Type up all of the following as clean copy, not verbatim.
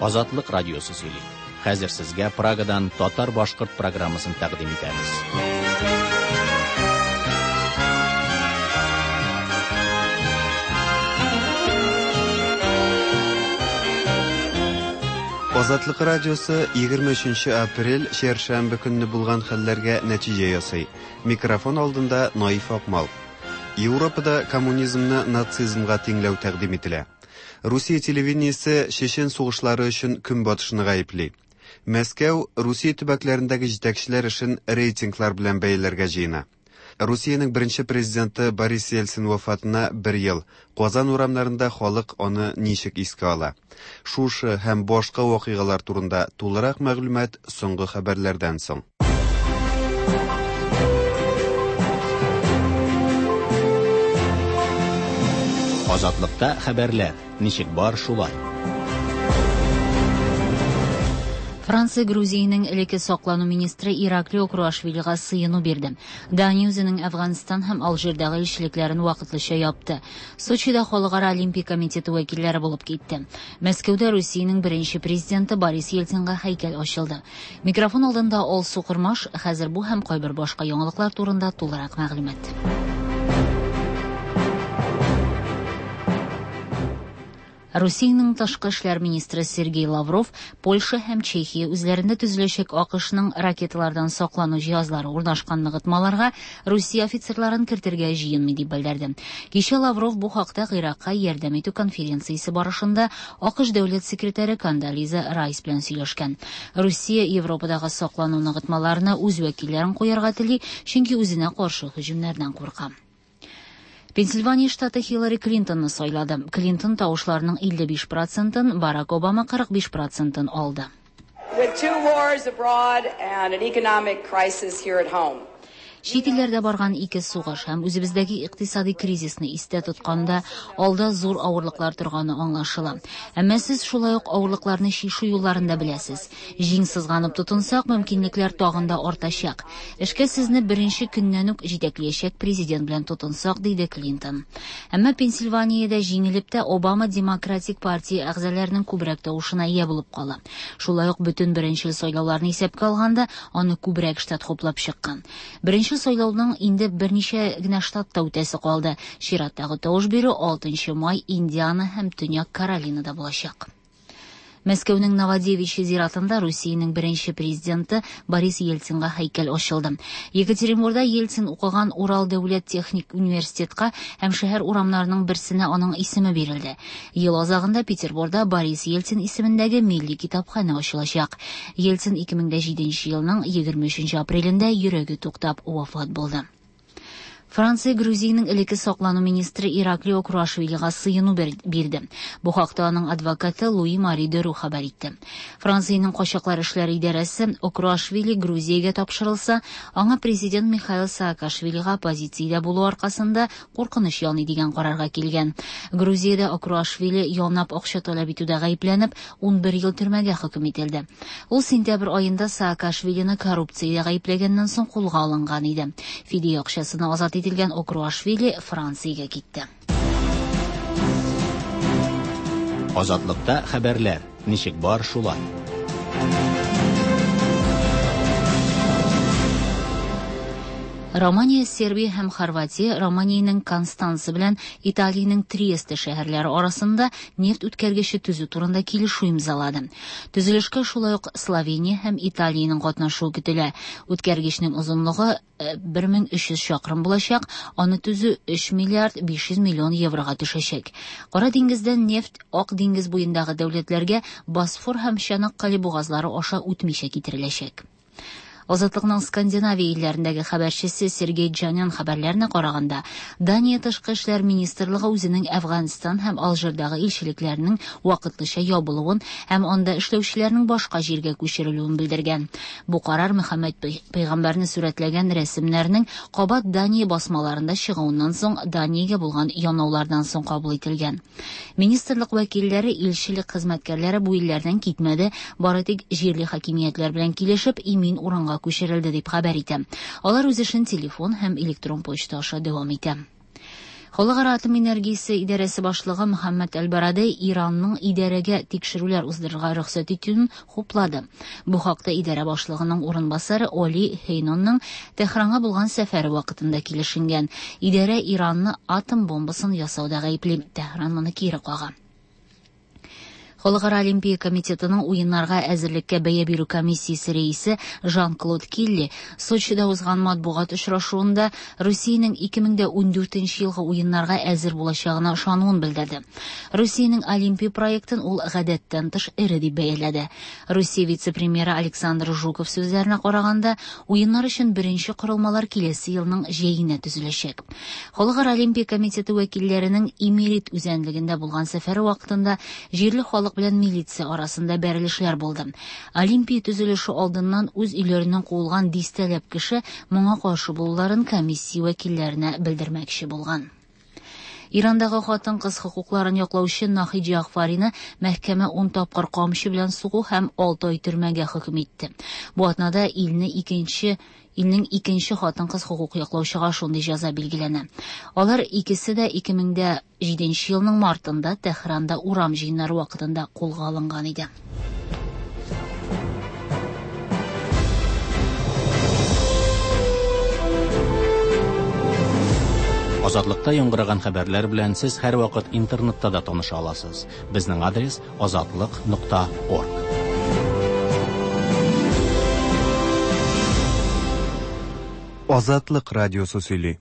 Азатлык радиосы сөйли. Хәзер сезгә Прагадан татар-башкорт программасын тәкъдим итәбез. Азатлык радиосы 23 апрель чәршәмбе көнне булган хәлләргә нәтиҗә ясый. Микрофон алдында Наиф Акмал. Европада коммунизмны нацизмга тиңләү тәкъдим ителә. Русия телевидениесе Чечен сугышлары өчен Көнбатышны гаепли. Мәскәү Русия төбәкләрендәге җитәкчеләр эшен рейтинглар белән бәяләргә җыена. Русиянең беренче президенты Борис Ельцин вафатына бер ел. Казан урамнарында халык аны ничек искә ала? Шушы һәм башка вакыйгалар турында тулырак мәгълүмат соңгы хәбәрләрдән соң. Азатлыкта хәбәрләр ничек бар шулай. Франция Грузиянең элекке саклану министры Иракли Окруашвилига сыену бирде. Дания үзенең Әфганстан һәм Алжирдагы илчелекләрен вакытлыча япты. Сочида Халыкара Олимпия комитеты вәкилләре булып китте. Мәскәүдә Русиянең беренче президенты Борис Ельцинга һәйкәл ачылды. Микрофон алдында Алсу Кормаш, хәзер бу һәм кайбер башка яңалыклар турында тулырак мәгълүмат. Русиянең тышкы эшләр министры Сергей Лавров Польша һәм Чехия үзләрендә төзеләчәк АКШның ракеталардан саклану җиһазлары урнашкан ныгытмаларга Русия офицерларын кертергә җыенмый дип белдерде. Кичә Лавров бу хакта Гыйракка ярдәм итү конференциясе барышында АКШ дәүләт секретаре Кондолиза Райс белән сөйләшкән. Русия Европадагы саклану ныгытмаларына үз вәкилләрен куярга тели, чөнки үзенә каршы һөҗүмнәрдән курка. Пенсильвания штаты Хиллари Клинтонны сайлады. Клинтон тавышларының 55 процентын, Барак Обама 45 процентын алды. With two wars abroad and an economic crisis here at home. Чит илләрдә барган ике сугыш һәм үзебездәге икътисади кризисны истә тотканда, алда зур авырлыклар торганы аңлашыла. Әмма сез шулай ук авырлыкларны чишү юлларын да беләсез. Җиң сызганып тотынсак, мөмкинлекләр тагын да артачак. Эшкә сезне беренче көннән үк җитәкләячәк президент белән тотынсак, диде Клинтон. Әмма Пенсильваниядә җиңелеп тә Обама Демократик партия әгъзаларының күбрәк тавышына ия булып кала. Шулай ук бөтен беренчел сайлауларны исәпкә алганда, аны күбрәк штат хуплап чыккан. Беренче сайлауның инде берничә генә штатта үтәсе калды. Чираттагы тавыш бирү 6 май Индиана һәм Төньяк Каролинада булачак. Мәскәүнең Новодевичье зиратында Русиянең беренче президенты Борис Ельцинга һәйкәл ачылды. Екатеринбургда Ельцин укыган Урал дәүләт техник университетка һәм шәһәр урамнарының берсенә аның исеме бирелде. Ел азагында Петербургда Борис Ельцин исемендәге милли китапханә ачылачак. Ельцин 2007 елның 23 апрелендә йөрәге туктап вафат булды. Франция Грузиянең элекке саклану министры Иракли Окруашвилига сыену бирде. Бу хакта аның адвокаты Луи Мари Деру хәбәр итте. Франциянең качаклар эшләре идарәсе Окруашвили Грузиягә тапшырылса, аңа президент Михаил Саакашвилига оппозициядә булу аркасында куркыныч яный дигән карарга килгән. Грузиядә Окруашвили янап акча таләп итүдә гаепләнеп, 11 ел төрмәгә хөкем ителде. Ул сентябрь аенда Саакашвилины коррупциядә гаепләгәннән соң кулга алынган иде. Фидия акчасына азат ителгән Окруашвили Франциягә китте. Азатлыкта хәбәрләр ничек бар шулай. Романия, Сербия һәм Хорватия Романиянең Констанца белән Италиянең Триесте шәһәрләре арасында нефть үткәргече төзү турында килешү имзалады. Төзелешкә шулай ук Словения һәм Италиянең катнашуы көтелә. Үткәргечнең озынлыгы 1300 чакрым булачак, аны төзү 3 миллиард 500 миллион еврога төшәчәк. Кара диңгездән нефть Ак диңгез буендагы дәүләтләргә Босфор һәм Чанаккале бугазлары аша үтмичә китереләчәк. Азатлыкның Скандинавия илләрендәге хәбәрчесе Сергей Джанян хәбәрләренә караганда, Дания тышкы эшләр министрлыгы үзенең Әфганстан һәм Алжирдагы илчелекләренең вакытлыча ябылуын һәм анда эшләүчеләрнең башка җиргә күчерелүен белдергән. Бу карар Мөхәммәд пәйгамбәрне сурәтләгән рәсемнәрнең кабат Дания басмаларында чыгуыннан соң Даниягә булган янаулардан соң кабул ителгән. Министрлык вәкилләре илчелек хезмәткәрләре бу илләрдән китмәде, бары тик җирле хакимиятләр белән килешеп, имин урынга күчерелде дип хәбәр итә. Алар үз эшен телефон һәм электрон почта аша дәвам итә. Халыкара атом энергиясе идарәсе башлыгы Мөхәммәд Әл-Барадей Иранның идарәгә тикшерүләр уздырырга рөхсәт итүен хуплады. Бу хакта идарә башлыгының урынбасары Оли Хейнонның Тәһранга булган сәфәре вакытында килешенгән. Идарә Иранны атом бомбасын ясауда гаепли. Тәһран моны кире кага. Халыкара Олимпия комитетының уеннарга әзерлеккә бәя бирү комиссиясе рәисе Жан-Клод Килли Сочида узган матбугат очрашуында Русиянең 2014 елгы уеннарга әзер булачагына ышануын белдерде. Русиянең Олимпия проектын ул гадәттән тыш эре дип бәяләде. Русия вице-премьеры Александр Жуков сүзләренә караганда, уеннар өчен беренче корылмалар киләсе елның җәенә төзеләчәк. Халыкара Олимпия комитеты вәкилләренең Имерит үзәнлегендә булган сәфәре вакытында җирле халык белән милиция арасында бәрелешләр булды. Олимпия төзелеше алдыннан үз өйләреннән куылган дистәләп кеше моңа каршы булуларын комиссия вәкилләренә белдермәкче булган. Ирандагы хатын-кыз хокукларын яклаучы Нахид Җәгъфарины мәхкәмә 10 тапкыр камчы белән сугу һәм 6 ай төрмәгә хөкем итте. Бу атнада илне икенче илнең икенче хатын-кыз хокук яклаучыга шундый җәза билгеләнә. Алар икесе дә 2007 елның мартында Тәһранда урам җыеннары вакытында кулга алынган иде. Азатлыкта яңгыраган хәбәрләр белән сез һәрвакыт интернетта да таныша аласыз. Безнең адрес azatliq.org. Азатлык радиосы сөйли.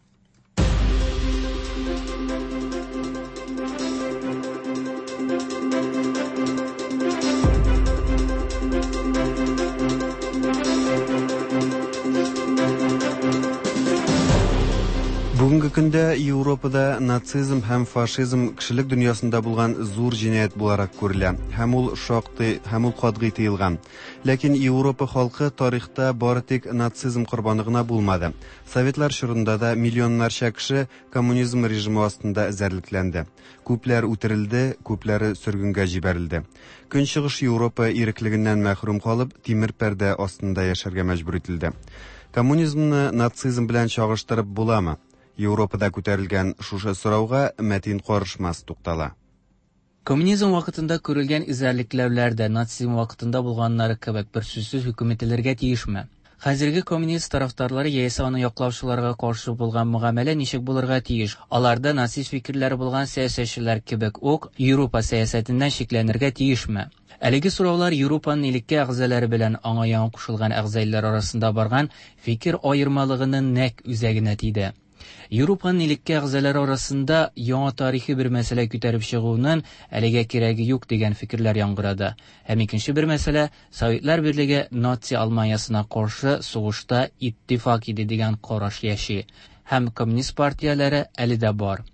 Бүгенге көндә Европада нацизм һәм фашизм кешелек дөньясында булган зур җинаять буларак күрелә һәм ул шактый һәм ул катгый тыелган. Ләкин Европа халкы тарихта бары тик нацизм корбаны гына булмады. Советлар чорында да миллионнарча кеше коммунизм режимы астында эзәрлекләнде. Күпләр үтерелде, күпләре сөргенгә җибәрелде. Көнчыгыш Европа иреклегеннән мәхрүм калып, тимер пәрдә астында яшәргә мәҗбүр ителде. Коммунизмны нацизм белән чагыштырып буламы? Европада күтәрелгән шушы сорауга Мәтин Карышмас туктала. Коммунизм вакытында күрелгән эзәрлекләүләр дә нацизм вакытында булганнары кебек бер сүзсез хөкем ителергә тиешме? Хәзерге коммунист тарафдарлары яисә аны яклаучыларга каршы булган мөгамәлә ничек булырга тиеш? Аларда нацист фикерләре булган сәясәтчеләр кебек үк Европа сәясәтеннән шикләнергә тиешме? Әлеге сораулар Европаның элекке әгъзалары белән аңа яңа кушылган әгъзалар арасында барган фикер аермалыгының нәкъ үзәгенә тиде. Европаның элекке әгъзалары арасында яңа тарихи бер мәсьәлә күтәреп чыгуның әлегә кирәге юк дигән фикерләр яңгырады. Һәм икенче бер мәсьәлә Советлар Берлеге наци Алманиясына каршы сугышта иттифак иде дигән караш яши. Һәм коммунист партияләре әле дә бар.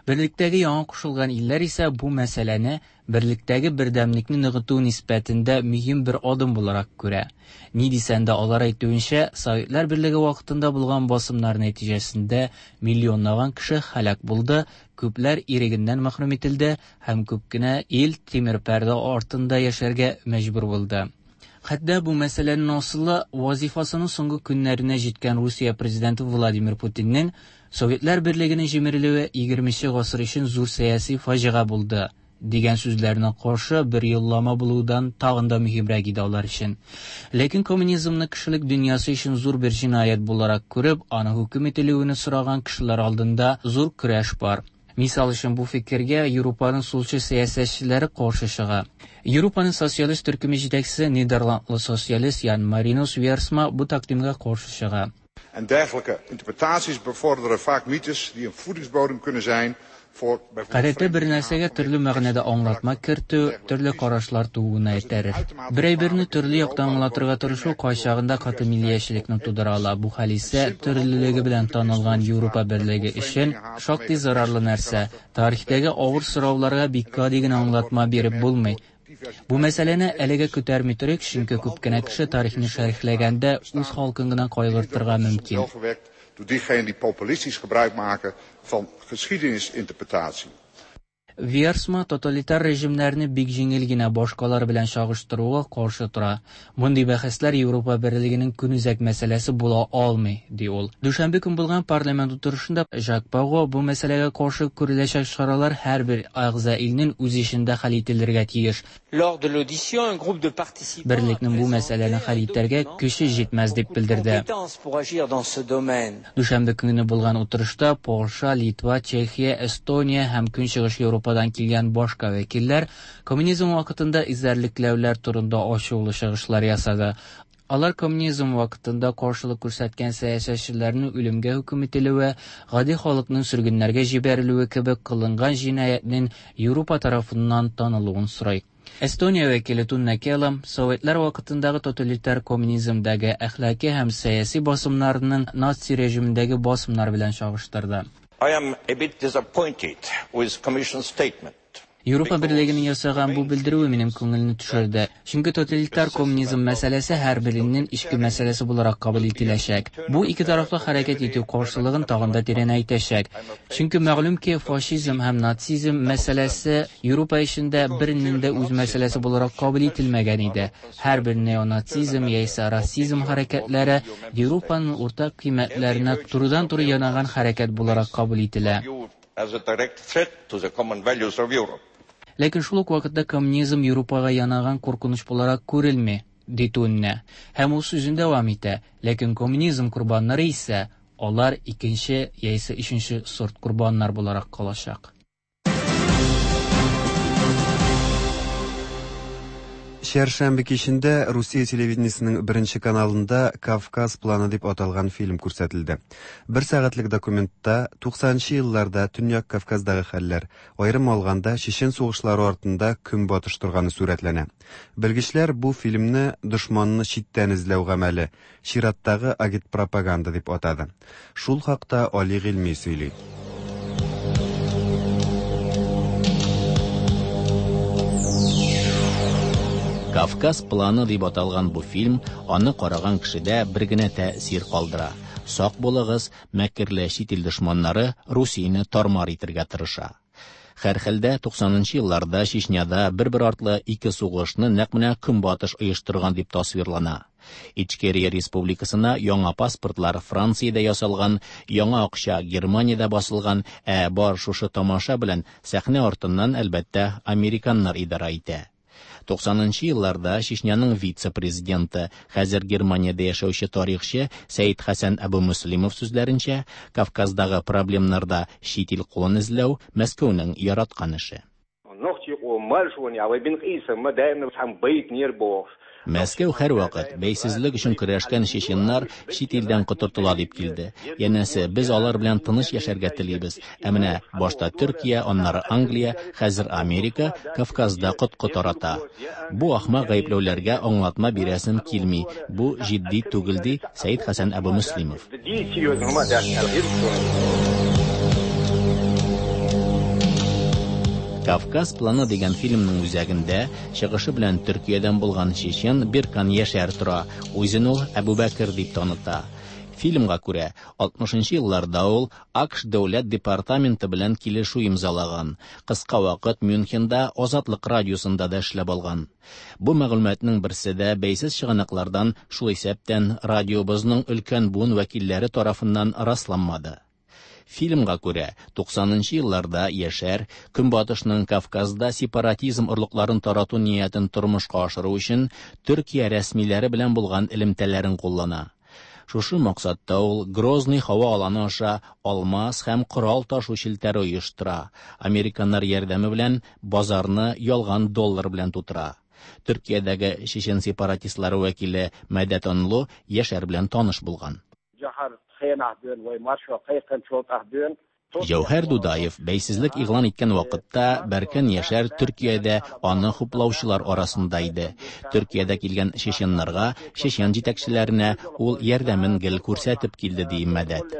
Берлектәге яңа кушылган илләр исә бу мәсьәләне берлектәге бердәмлекне ныгыту нисбәтендә мөһим бер адым буларак күрә. Ни дисәң дә, алар әйтүенчә, Советлар Берлеге вакытында булган басымнар нәтиҗәсендә миллионлаган кеше һәлак булды, күпләр ирегеннән мәхрүм ителде һәм күп кенә ил тимер пәрдә артында яшәргә мәҗбүр булды. Хәтта бу мәсьәләнең асылы вазифасының соңгы көннәренә җиткән Русия президенты Владимир Путинның Советлар Берлегенең җимерелүе 20 гасыр өчен зур сәяси фаҗига булды дигән сүзләренә каршы бер юллама булудан тагын да мөһимрәк иде алар өчен. Ләкин коммунизмны кешелек дөньясы өчен зур бер җинаять буларак күреп, аны хөкем ителүен сораган кешеләр алдында зур көрәш бар. Мисал өчен бу фикергә Европаның сулчы сәясәтчеләре каршы чыга. Европаның социалист төркеме җитәкчесе Нидерландлы социалист Ян Маринус Версма бу тәкъдимгә каршы чыга. En dergelijke interpretaties bevorderen vaak mythes die een voedingsbodem kunnen zijn voor Гадәттә бер нәрсәгә төрле мәгънәдә аңлатма кертү, төрле карашлар тууына этәрер. Бер әйберне төрле яктан аңлатырга тырышу кайчагында каты миллиячелекне тудыра ала. Бу хәл исә төрлелеге белән танылган Европа берлеге өчен шактый зарарлы нәрсә. Тарихтагы авыр сорауларга бик гади генә аңлатма биреп булмый. Бу мәсьәләне әлегә күтәрми торыйк, чөнки күп кенә кеше тарихны шәрехләгәндә үз халкын гына кайгыртырга мөмкин. Door diegenen die populistisch gebruik maken van geschiedenisinterpretatie. Виерсма тоталитар режимнәрне бик җиңел генә башкалар белән чагыштыруга каршы тора. Мондый бәхәсләр Европа берлегенең көнүзәк мәсьәләсе була алмый, ди ул. Дүшәмбе көн булган парламент утырышында Жак Барро бу мәсьәләгә каршы күреләчәк чаралар һәрбер әгъза илнең үз эчендә хәл ителергә тиеш. Берлекнең бу мәсьәләне хәл итәргә көче җитмәс дип белдерде. Дүшәмбе көнне булган утырышта Польша, Литва, Чехия, Эстония һәм Көнчыгыш Европадан килгән башка вәкилләр коммунизм вакытында эзәрлекләүләр турында ачулы чыгышлар ясады. Алар коммунизм вакытында каршылык күрсәткән сәясәтчеләрнең үлемгә хөкем ителүе, гади халыкның сөргеннәргә җибәрелүе кебек кылынган җинаятьнең Европа тарафыннан танылуын сорый. Эстония вәкиле Тунне Келам Советлар вакытындагы тоталитар коммунизмдагы әхлаки һәм сәяси басымнарның наци режимындагы басымнар белән чагыштырды. I am a bit disappointed with Commission statement. Европа берлегенең ясаган бу белдерүе минем күңелне төшерде. Чөнки тоталитар коммунизм мәсьәләсе һәрбер илнең эчке мәсьәләсе буларак кабул ителәчәк. Бу ике тарафлы хәрәкәт итү каршылыгын тагын да тирәнәйтәчәк. Чөнки мәгълүм ки, фашизм һәм нацизм мәсьәләсе Европа эчендә бернең дә үз мәсьәләсе буларак кабул ителмәгән иде. Һәрбер неонацизм яисә расизм хәрәкәтләре Европаның уртак кыйммәтләренә турыдан-туры янаган хәрәкәт буларак кабул ителә. As a direct threat to the common values of Europe. Ләкин шул ук вакытта коммунизм Европага янаган куркыныч буларак күрелми, ди Тунне. Һәм ул сүзен дәвам итә. Ләкин коммунизм корбаннары исә алар икенче яисә өченче сорт корбаннар буларак калачак. Чәршәмбе кичендә Русия телевидениесенең беренче каналында Кавказ планы дип аталган фильм күрсәтелде. Бер сәгатьлек документта 90 елларда Төньяк Кавказдагы хәлләр, аерым алганда Чечен сугышлары артында көнбатыш торганы сурәтләнә. Белгечләр бу фильмны дошманны читтән эзләү гамәле, чираттагы агитпропаганда дип атады. Шул хакта Али Гыйльми сөйли. Кавказ планы дип аталган бу фильм аны караган кешедә бер генә тәэсир калдыра. Сак булыгыз, мәкерле чит ил дошманнары Русияне тармар итергә тырыша. Һәрхәлдә 90 елларда Чечняда бер-бер артлы ике сугышны нәкъ менә Көнбатыш оештырган дип тасвирлана. Ичкерия республикасына яңа паспортлар Франциядә ясалган, яңа акча Германиядә басылган, ә бар шушы тамаша белән сәхнә артыннан әлбәттә американнар идара итә. 90 елларда Чечняның вице-президенты, хәзер Германиядә яшәүче тарихчы Сәид Хәсән Әбу Мөслимов сүзләренчә, Кавказдагы проблемнарда чит ил кулын эзләү Мәскәүнең яраткан эше. Мәскәү һәрвакыт бәйсезлек өчен көрәшкән чеченнар чит илдән котыртыла дип килде. Янәсе, без алар белән тыныч яшәргә телибез. Ә менә башта Төркия, аннары Англия, хәзер Америка Кавказда коткы тарата. Бу ахмак гаепләүләргә аңлатма бирәсем килми. Бу җитди түгел, ди Сәид Хәсән Әбу Мөслимов. Кавказ планы дигән фильмның үзәгендә чыгышы белән Төркиядән булган чечен Биркан Яшәр тора. Үзен ул Әбу Бәкер дип таныта. Фильмга күрә, 60 елларда ул АКШ дәүләт департаменты белән килешү имзалаган. Кыска вакыт Мюнхенда Азатлык радиосында да эшләп алган. Бу мәгълүматның берсе дә бәйсез чыганаклардан, шул исәптән радиобызның өлкән буын вәкилләре тарафыннан расланмады. Фильмга күрә, 90 елларда Яшәр Көнбатышның Кавказда сепаратизм орлыкларын тарату ниятен тормышка ашыру өчен Төркия рәсмиләре белән булган элемтәләрен куллана. Шушы максатта ул Грозный һава аланы аша алмаз һәм корал ташу челтәре оештыра. Американнар ярдәме белән базарны ялган доллар белән тутыра. Төркиядәге чечен сепаратистлары вәкиле Мәдәт Анлы Яшәр белән таныш булган. Җәүһәр Дудаев бәйсезлек игълан иткән вакытта Бәркән Яшәр Төркиядә аны хуплаучылар арасында иде. Төркиядә килгән чеченнарга, чечен җитәкчеләренә ул ярдәмен гел күрсәтеп килде, ди Мәдәт.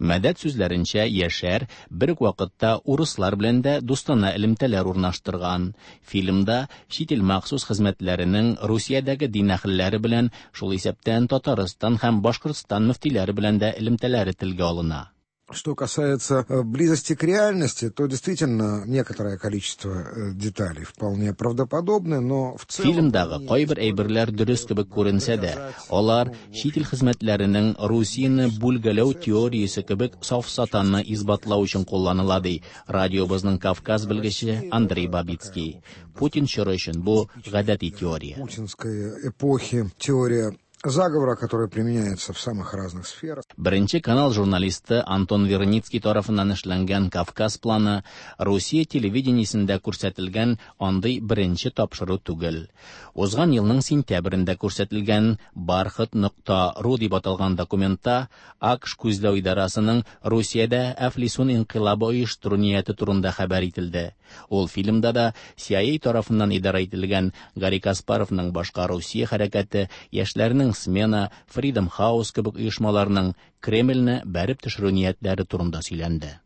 Мәдәт сүзләренчә, Яшәр бер үк вакытта урыслар белән дә дустана элемтәләр урнаштырган. Фильмда чит ил махсус хезмәтләренең Русиядәге дин әһелләре белән, шул исәптән Татарстан һәм Башкортстан мөфтиләре белән дә элемтәләре телгә алына. Что касается близости к реальности, то действительно некоторое количество деталей вполне правдоподобны, но в целом... Фильмдагы кайбер әйберләр дөрес кебек күренсә дә, алар чит ил хезмәтләренең Русияне бүлгәләү теориясе кебек сафсатаны исбатлау өчен кулланыла, ди радиобызның Кавказ белгече Андрей Бабицкий. Путин чоры өчен бу гадәти теория. Путинской эпохи теория заговора, который применяется в самых разных сферах. Беренче канал журналисты Антон Верницкий тарафыннан эшләнгән Кавказ планы Русия телевидениесендә күрсәтелгән андый беренче тапшыру түгел. Узган елның сентябрендә күрсәтелгән Бархат.ру дип аталган документта АКШ күзләү идарасының Русиядә әфлисун инкыйлабы оештыру нияте турында хәбәр ителде. Ул фильмда да CIA тарафыннан идарә ителгән Гарри Каспаровның башка Русия хәрәкәте, яшьләрнең Смена, Freedom House кебек оешмаларның Кремльне бәреп төшерү ниятләре турында сөйләнде.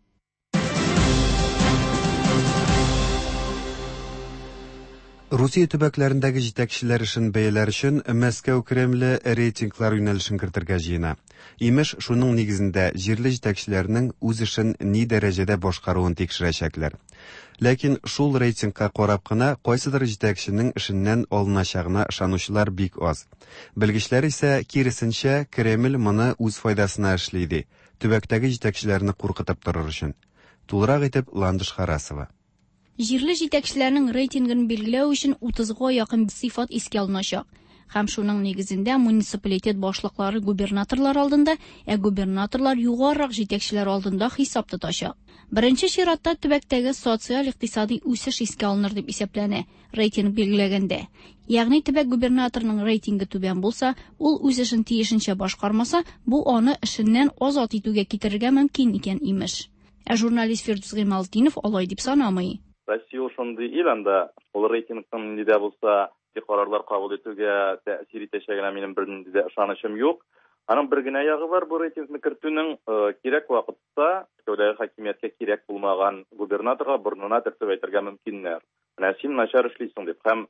Русия төбәкләрендәге җитәкчеләр эшен бәяләр өчен Мәскәү Кремле рейтинглар юнәлешен кертергә җыена. Имеш, шуның нигезендә җирле җитәкчеләрнең үз эшен ни дәрәҗәдә башкаруын тикшерәчәкләр. Ләкин шул рейтингка карап кына кайсыдыр җитәкченең эшеннән алыначагына ышанучылар бик аз. Белгечләр исә киресенчә, Кремль моны үз файдасына эшли ди, төбәктәге җитәкчеләрне куркытып торыр өчен. Тулырак итеп Ландыш Харасова. Җирле җитәкчеләрнең рейтингын билгеләү өчен 30га якын сыйфат искә алыначак. Һәм шуның нигезендә муниципалитет башлыклары губернаторлар алдында, ә губернаторлар югарырак җитәкчеләр алдында хисап тотачак. Беренче чиратта төбәктәге социаль-икътисади үсеш искә алыныр дип исәпләнә рейтинг билгеләгәндә. Ягъни төбәк губернаторының рейтингы түбән булса, ул үз эшен тиешенчә башкармаса, бу аны эшеннән азат итүгә китерергә мөмкин икән имеш. Ә журналист Фирдүс Гыймалтдинов алай дип санамый. Россия шундый ил, анда ул рейтингның нинди дә булса карарлар кабул итүгә тәэсир итәчәгенә минем бернинди дә ышанычым юк. Аның бер генә ягы бар, бу рейтингны кертүнең кирәк вакытта Мәскәүдәге хакимияткә кирәк булмаган губернаторга борынына төртеп әйтергә мөмкиннәр. Менә син начар эшлисең дип һәм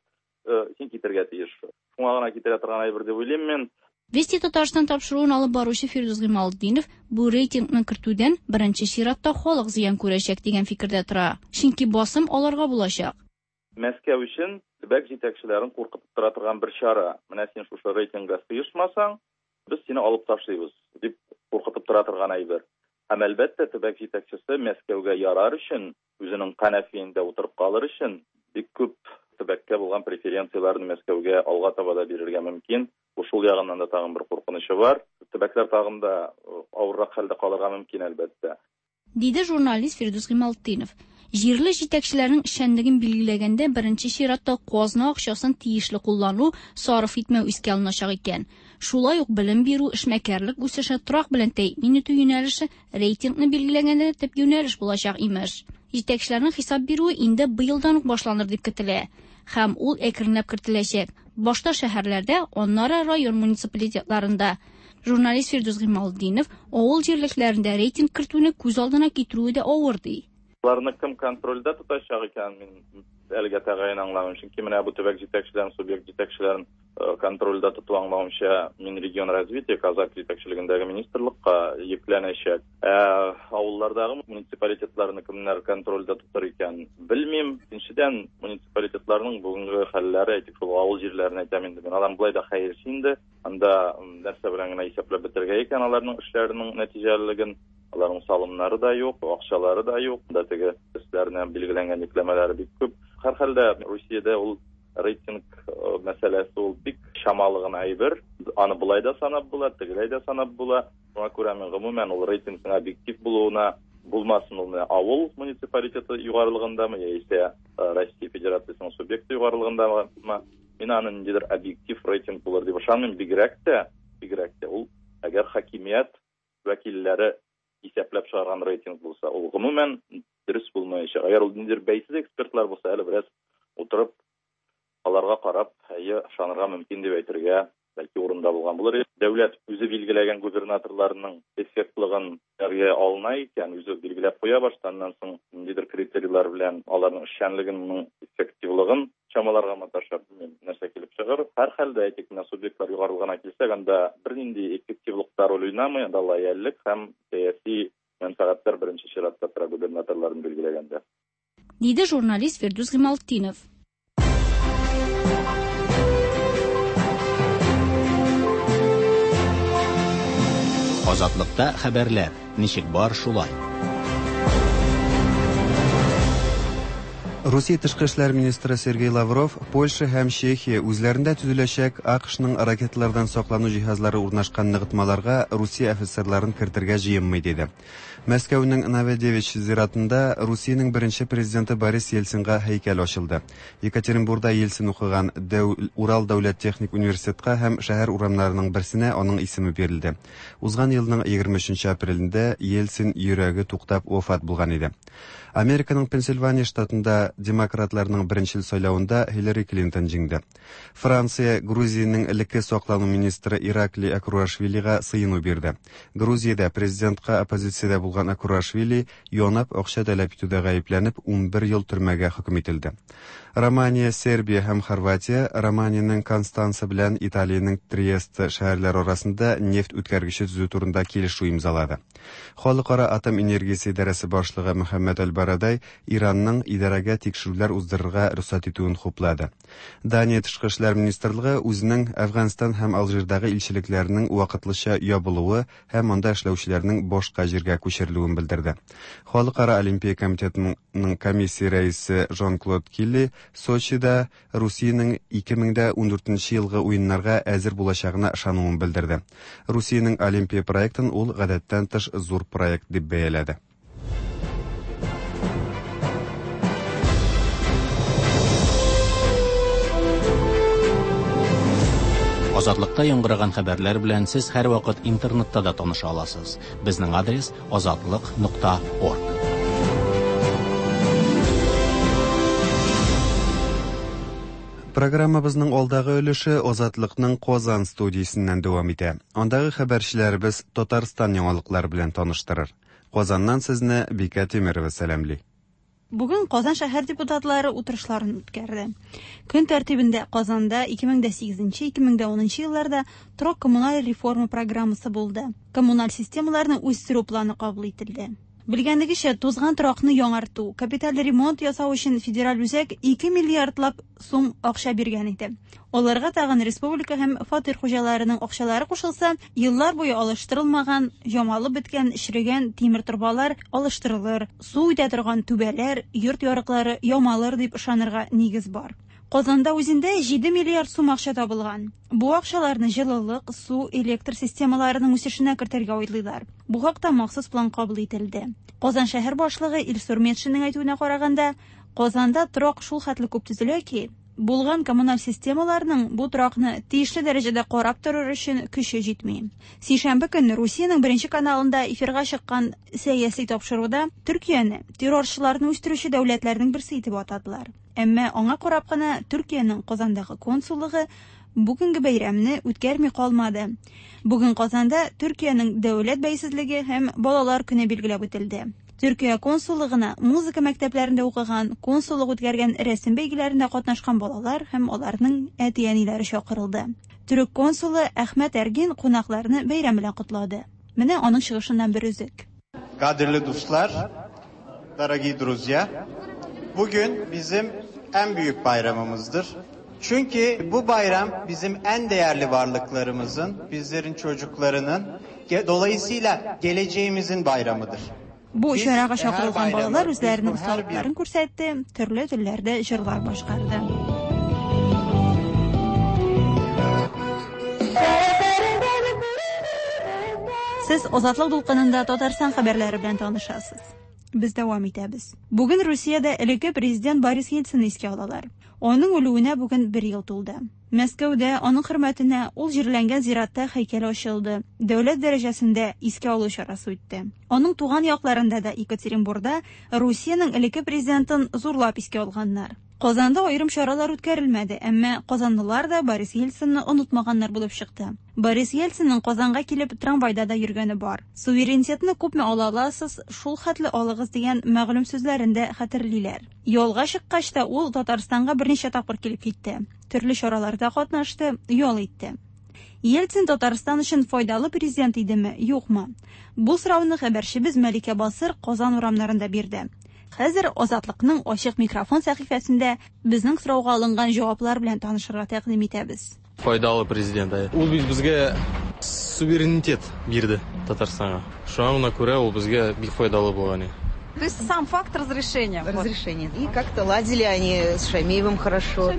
син китергә тиеш. Шуңа гына китерә торган әйбер дип уйлыйм мин. Вести Татарстан тапшыруын алып баручы Фирдүс Гыймалтдинов бу рейтингны кертүдән беренче чиратта халык зыян күрәчәк дигән фикердә тора. Чөнки басым аларга булачак. Мәскәү өчен төбәк җитәкчеләрен куркытып тора торган бер чара. Менә син шушы рейтингка сыешмасаң, без сине алып ташлыйбыз дип куркытып тора торган әйбер. Һәм әлбәттә төбәк җитәкчесе Мәскәүгә ярар өчен, үзенең канәфиендә утырып калыр өчен бик күп төбәккә булган преференцияләрне Мәскәүгә алга таба да бирергә мөмкин. Бу шул ягыннан да тагын бер куркынычы бар. Төбәкләр тагын да авыррак хәлдә калырга мөмкин әлбәттә. Диде журналист Фирдүс Гыймалтдинов. Җирле җитәкчеләрнең эшчәнлеген билгеләгәндә беренче чиратта казна акчасын тиешле куллану, сарыф итмәү искә алыначак икән. Шулай ук белем бирү, эшмәкәрлек үсеше, торак белән тәэмин итү юнәлеше рейтингны билгеләгәндә төп юнәлеш булачак имеш. Җитәкчеләрнең хисап бирүе инде быелдан ук башланыр дип көтелә. Һәм ул әкренләп кертеләчәк. Башта шәһәрләрдә, аннары район муниципалитетларында. Журналист Фирдүс Гыймалтдинов авыл җирлекләрендә рейтинг кертүне күз алдына китерүе дә авыр ди. Аларны кем контрольдә тотачак икән, мин әлегә тәгаен аңламыйм. Чөнки менә бу төбәк җитәкчеләрен, субъект җитәкчеләрен контрольдә тоту аңлавымча, Минрегионразвитие Казак җитәкчелегендәге министрлыкка йөкләнәчәк. Ә авыллардагы муниципалитетларны кемнәр контрольдә тотыр икән, белмим. Икенчедән, муниципалитетларның бүгенге хәлләре, әйтик, шул авыл җирләрен әйтәм инде. Мин алар болай да хәерче инде. Анда нәрсә белән генә исәпләп бетерергә икән аларның эшләренең нәтиҗәлелеген. Аларның салымнары да юк, акчалары да юк. Анда теге өсләренә билгеләнгән йөкләмәләре бик күп. Һәр хәлдә Русиядә ул рейтинг мәсьәләсе ул бик чамалы гына әйбер. Аны болай да санап була, тегеләй дә санап була. Шуңа күрә мин гомумән ул рейтингның объектив булуына булмасын ул менә авыл муниципалитеты югарылыгындамы, яисә Россия Федерациясенең субъекты югарылыгындамы, мин аны ниндидер объектив рейтинг булыр дип ышанмыйм. Бигрәк тә ул әгәр хакимият вәкилләре исәпләп чыгарган рейтинг булса, ул гомумән дөрес булмаячак. Әгәр ул ниндидер бәйсез экспертлар булса, әле бераз утырып аларга карап, әйе, ышанырга мөмкин дип әйтергә бәлки урында булган булыр. Дәүләт үзе билгеләгән губернаторларның эффектлыгын әлгә алына икән, үзе билгеләп куя баштаннан соң ниндидер критерийлар белән аларның эшчәнлегенең эффективлыгын чамаларга маташа, белмим, нәрсә килеп чыгыр. Һәр хәлдә, әйтик, менә субъектлар югарылыгына килсәк, анда бернинди эффективлык та роль уйнамый, анда лояльлек һәм сәяси Мәнфәгатьләр беренче чиратта тора губернаторларны билгеләгәндә. Диде журналист Фирдүс Гыймалтдинов. Азатлыкта хәбәрләр, ничек бар шулай. Русия тышкы эшләр министры Сергей Лавров Польша һәм Чехия үзләрендә төзеләчәк АКШның ракеталардан саклану җиһазлары урнашкан ныгытмаларга Русия офицерларын кертергә җыенмый диде. Мәскәүнең Новодевич зиратында Русиянең беренче президенты Борис Ельцинга һәйкәл ачылды. Екатеринбурда Ельцин укыган Дәү Урал дәүләт техник университетка һәм шәһәр урамнарының берсенә аның исеме бирелде. Узган елның 23 апрелендә Ельцин йөрәге туктап вафат булган иде. Американың Пенсильвания штатында демократларның беренчел сайлавында Хиллари Клинтон җиңде. Франция Грузиянең элекке саклану министры Иракли Акруашвилига сыену бирде. Грузиядә президентка оппозициядә булган Акруашвили янап акча таләп итүдә гаепләнеп 11 ел төрмәгә хөкем ителде. Романия, Сербия һәм Хорватия Романиянең Констанца белән Италиянең Триест шәһәрләре арасында нефть үткәргече төзү турында килешү имзалады. Халыкара атом энергиясе идарәсе башлыгы Мөхәммәд Аль-Барадай Иранның идарәгә тикшерүләр уздырырга рөхсәт итүен хуплады. Дания тышкы эшләр министрлыгы үзенең Әфганстан һәм Алжирдагы илчелекләренең вакытлыча ябылуы һәм анда эшләүчеләрнең башка җиргә күчерелүен белдерде. Халыкара Олимпия комитетының комиссия рәисе Жан-Клод Килли Сочида Русиянең 2014 елгы уеннарга әзер булачагына ышануын белдерде. Русиянең Олимпия проектын ул гадәттән тыш зур проект дип бәяләде. Азатлыкта яңгыраган хәбәрләр белән сез һәрвакыт интернетта да таныша аласыз. Безнең адрес азатлык.орг. Программабызның алдагы өлеше Азатлыкның Казан студиясеннән дәвам итә. Андагы хәбәрчеләребез Татарстан яңалыклары белән таныштырыр. Казаннан сезне Бикә Тимерова сәламли. Бүген Казан шәһәр депутатлары утырышларын үткәрде. Көн тәртибендә Казанда 2008-2010 елларда торак-коммуналь реформа программасы булды. Коммуналь системаларны үстерү планы кабул ителде. Белгәнегезчә, тузган торакны яңарту, капиталь ремонт ясау өчен федераль үзәк 2 миллиардлап сум акча биргән иде. Аларга тагын республика һәм фатир хуҗаларының акчалары кушылса, еллар буе алыштырылмаган, ямалып беткән, черегән тимер торбалар алыштырылыр, су үтә торган түбәләр, йорт ярыклары ямалыр дип ышанырга нигез бар. Казанда үзендә 7 миллиард сум акча табылган. Бу акчаларны җылылык, су, электр системаларының үсешенә кертергә уйлыйлар. Бу хакта махсус план кабул ителде. Казан шәһәр башлыгы Илсур Метшинның әйтүенә караганда, Казанда торак шул хәтле күп төзелә ки, булган коммуналь системаларның бу торакны тиешле дәрәҗәдә карап торыр өчен көче җитми. Сишәмбе көнне Русиянең беренче каналында эфирга чыккан сәяси тапшыруда Төркияне террорчыларны үстерүче дәүләтләрнең берсе итеп атадылар. Әмма аңа карап кына Төркиянең Казандагы консуллыгы бүгенге бәйрәмне үткәрми калмады. Бүген Казанда Төркиянең дәүләт бәйсезлеге һәм балалар көне билгеләп үтелде. Төркия консуллыгына музыка мәктәпләрендә укыган, консуллык үткәргән рәсем бәйгеләрендә катнашкан балалар һәм аларның әти-әниләре чакырылды. Төрек консулы Әхмәт Әргин кунакларны бәйрәм белән котлады. Менә аның чыгышыннан бер өзек. Кадерле дуслар, дорогие друзья, bugün bizim en büyük bayramımızdır. Çünkü bu bayram bizim en değerli varlıklarımızın, bizlerin çocuklarının, dolayısıyla geleceğimizin bayramıdır. Бу чарага чакырылган балалар үзләренең осталыкларын күрсәтте, төрле телләрдә җырлар башкарды. Сез Азатлык дулкынында Татарстан хәбәрләре белән танышасыз. Без дәвам итәбез. Бүген Русиядә элекке президент Борис Ельцинны искә алалар. Аның үлүенә бүген бер ел тулды. Мәскәүдә аның хөрмәтенә ул җирләнгән зиратта һәйкәл ачылды. Дәүләт дәрәҗәсендә искә алу чарасы үтте. Аның туган якларында да Екатеринбурда Русиянең элекке президентын зурлап искә алганнар. Казанда аерым чаралар үткәрелмәде, әмма казанлылар да Борис Ельцинны онытмаганнар булып чыкты. Борис Ельцинның Казанга килеп трамвайда да йөргәне бар. Суверенитетны күпме ала аласыз, шул хәтле алыгыз дигән мәгълүм сүзләрен дә хәтерлиләр. Ялга чыккач та ул Татарстанга берничә тапкыр килеп китте. Төрле чараларда катнашты, ял итте. Ельцин Татарстан өчен файдалы президент идеме, юкмы? Бу сорауны хәбәрчебез Мәликә Басыр Казан урамнарында бирде. Хәзер Азатлыкның ачык микрофон сәхифәсендә безнең сорауга алынган җаваплар белән танышырга тәкъдим итәбез. Файдалы президент. Ул бит безгә суверенитет бирде Татарстанга. Шуңа гына күрә ул безгә бик файдалы булган. То есть сам факт разрешения. Разрешение. И как-то ладили они с Шаймиевым хорошо.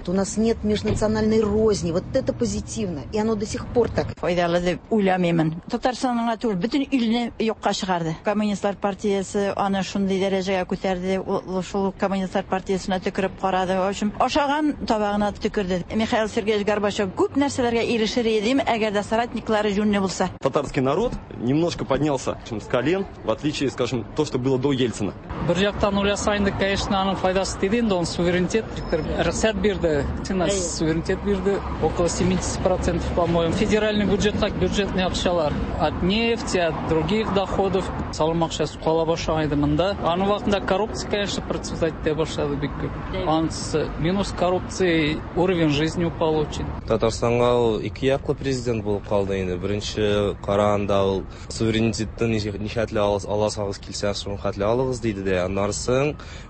У нас нет межнациональной розни. Вот это позитивно. И оно до сих пор так. Файдалы дип уйламыймын. Татарстанга түгел, бөтен илне юкка чыгарды. Коммунистлар партиясе аны шундый дәрәҗәгә күтәрде. Ул шул коммунистлар партиясенә төкереп карады. В общем, ашаган табагына төкерде. Михаил Сергеевич Горбачев күп нәрсәләргә ирешер иде, әгәр дә соратниклары җүнле булса. Татарский народ немножко поднялся с колен, в отличие, скажем, то, что было до Ельцина. Бер яктан уйласа инде, конечно, аның файдасы тиде инде, он суверенитет рөхсәт бирде. Суверенитет бирде, около 70%, по-моему. Федеральный бюджетка бюджетный акчалар от нефти, от других доходов салым акчасы кала башлаган иде монда. Аның вакытында коррупция, конечно, процветать итә башлады бик күп. Анысы минус коррупции, уровень жизни упал очень. Татарстанга ул ике яклы президент булып калды инде. Беренче караганда ул суверенитетны ничәтле аласагыз килсә, шуның хәтле алыгыз диде дә, аннары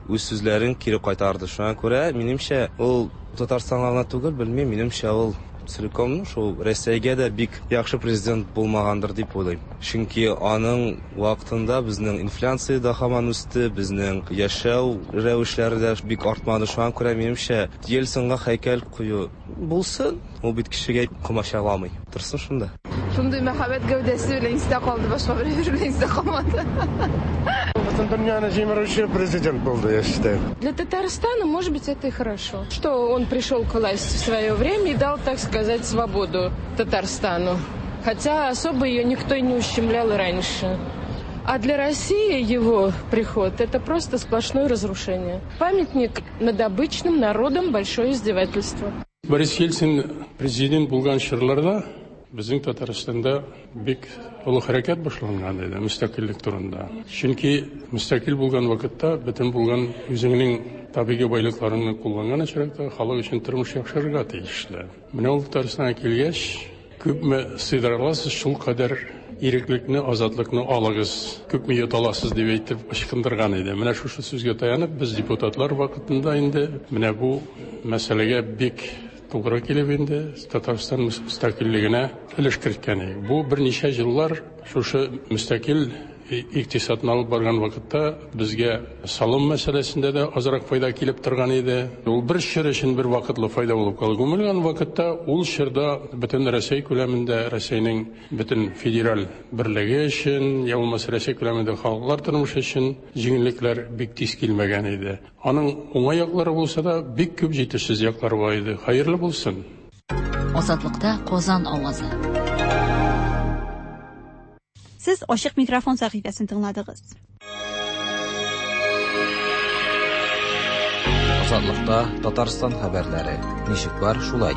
үз сүзләрен кире кайтарды. Шуңа күрә, минемчә, ул Татарстанга гына түгел, белмим, минемчә, ул целиком шул Россиягә дә бик яхшы президент булмагандыр дип уйлыйм. Чөнки аның вакытында безнең инфляция да һаман үсте, безнең яшәү рәвешләре дә бик артмады. Шуңа күрә, минемчә, Ельцинга һәйкәл кую булсын, ул бит кешегә комачауламый. Торсын шунда. Шундый мәхәббәт гәүдәсе белән истә калды, башка бер белән истә калмады. Бөтен дөньяны җимерүче президент булды, я считаю. Для Татарстана, может быть, это и хорошо, что он пришел к власти в свое время и дал, так сказать, свободу Татарстану. Хотя особо ее никто не ущемлял и раньше. А для России его приход – это просто сплошное разрушение. Памятник над обычным народом – большое издевательство. Борис Ельцин президент булган чорларда безнең Татарстанда бик олы хәрәкәт башланган иде мөстәкыйльлек турында. Чөнки мөстәкыйль булган вакытта бөтен булган үзеңнең табигый байлыкларыңны кулланган очракта халык өчен тормыш яхшырырга тиешле. Менә ул Татарстанга килгәч, күпме сыйдыра аласыз, шул кадәр иреклекне, азатлыкны алыгыз, күпме йота аласыз дип әйтеп ычкындырган иде. Менә шушы сүзгә таянып, без депутатлар вакытында инде менә бу мәсьәләгә бик тугры килеп инде Татарстан мөстәкыйльлегенә өлеш керткән идек. Бу берничә еллар шушы мөстәкыйль икътисадны алып барган вакытта безгә салым мәсьәләсендә дә азрак файда килеп торган иде. Ул бер чор өчен бер вакытлы файда булып калды. Гомумән вакытта ул чорда бөтен Рәсәй күләмендә Рәсәйнең бөтен федераль берлеге өчен, я булмаса Рәсәй күләмендә халыклар тормышы өчен җиңеллекләр бик тиз килмәгән иде. Аның уңай яклары булса да, бик күп җитешсез яклары бар иде. Хәерле булсын. Азатлыкта Казан авазы. Сез ачык микрофон сәхифәсен тыңладыгыз. Азатлыкта Татарстан хәбәрләре. Ничек бар, шулай.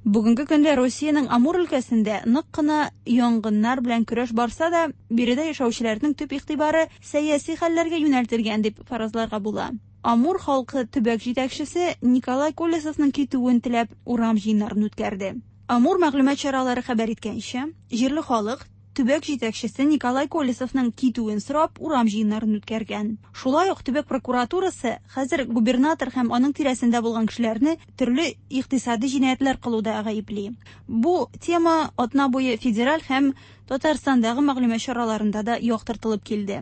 Бүгенге көндә Россиянең Амур өлкәсендә нык кына янгыннар белән көрәш барса да, биредә яшәүчеләрнең төп игътибары сәяси хәлләргә юнәлтелгән дип фаразларга була. Амур халкы төбәк җитәкчесе Николай Колесовның китүен теләп урам җыеннарын үткәрде. Амур мәгълүмат чаралары хәбәр иткәнчә, җирле халык төбәк җитәкчесе Николай Колесовның китүен сорап урам җыеннарын үткәргән. Шулай ук төбәк прокуратурасы хәзер губернатор һәм аның тирәсендә булган кешеләрне төрле икътисади җинаятьләр кылуда гаепли. Бу тема атна буе федераль һәм Татарстандагы мәгълүмат чараларында да яктыртылып килде.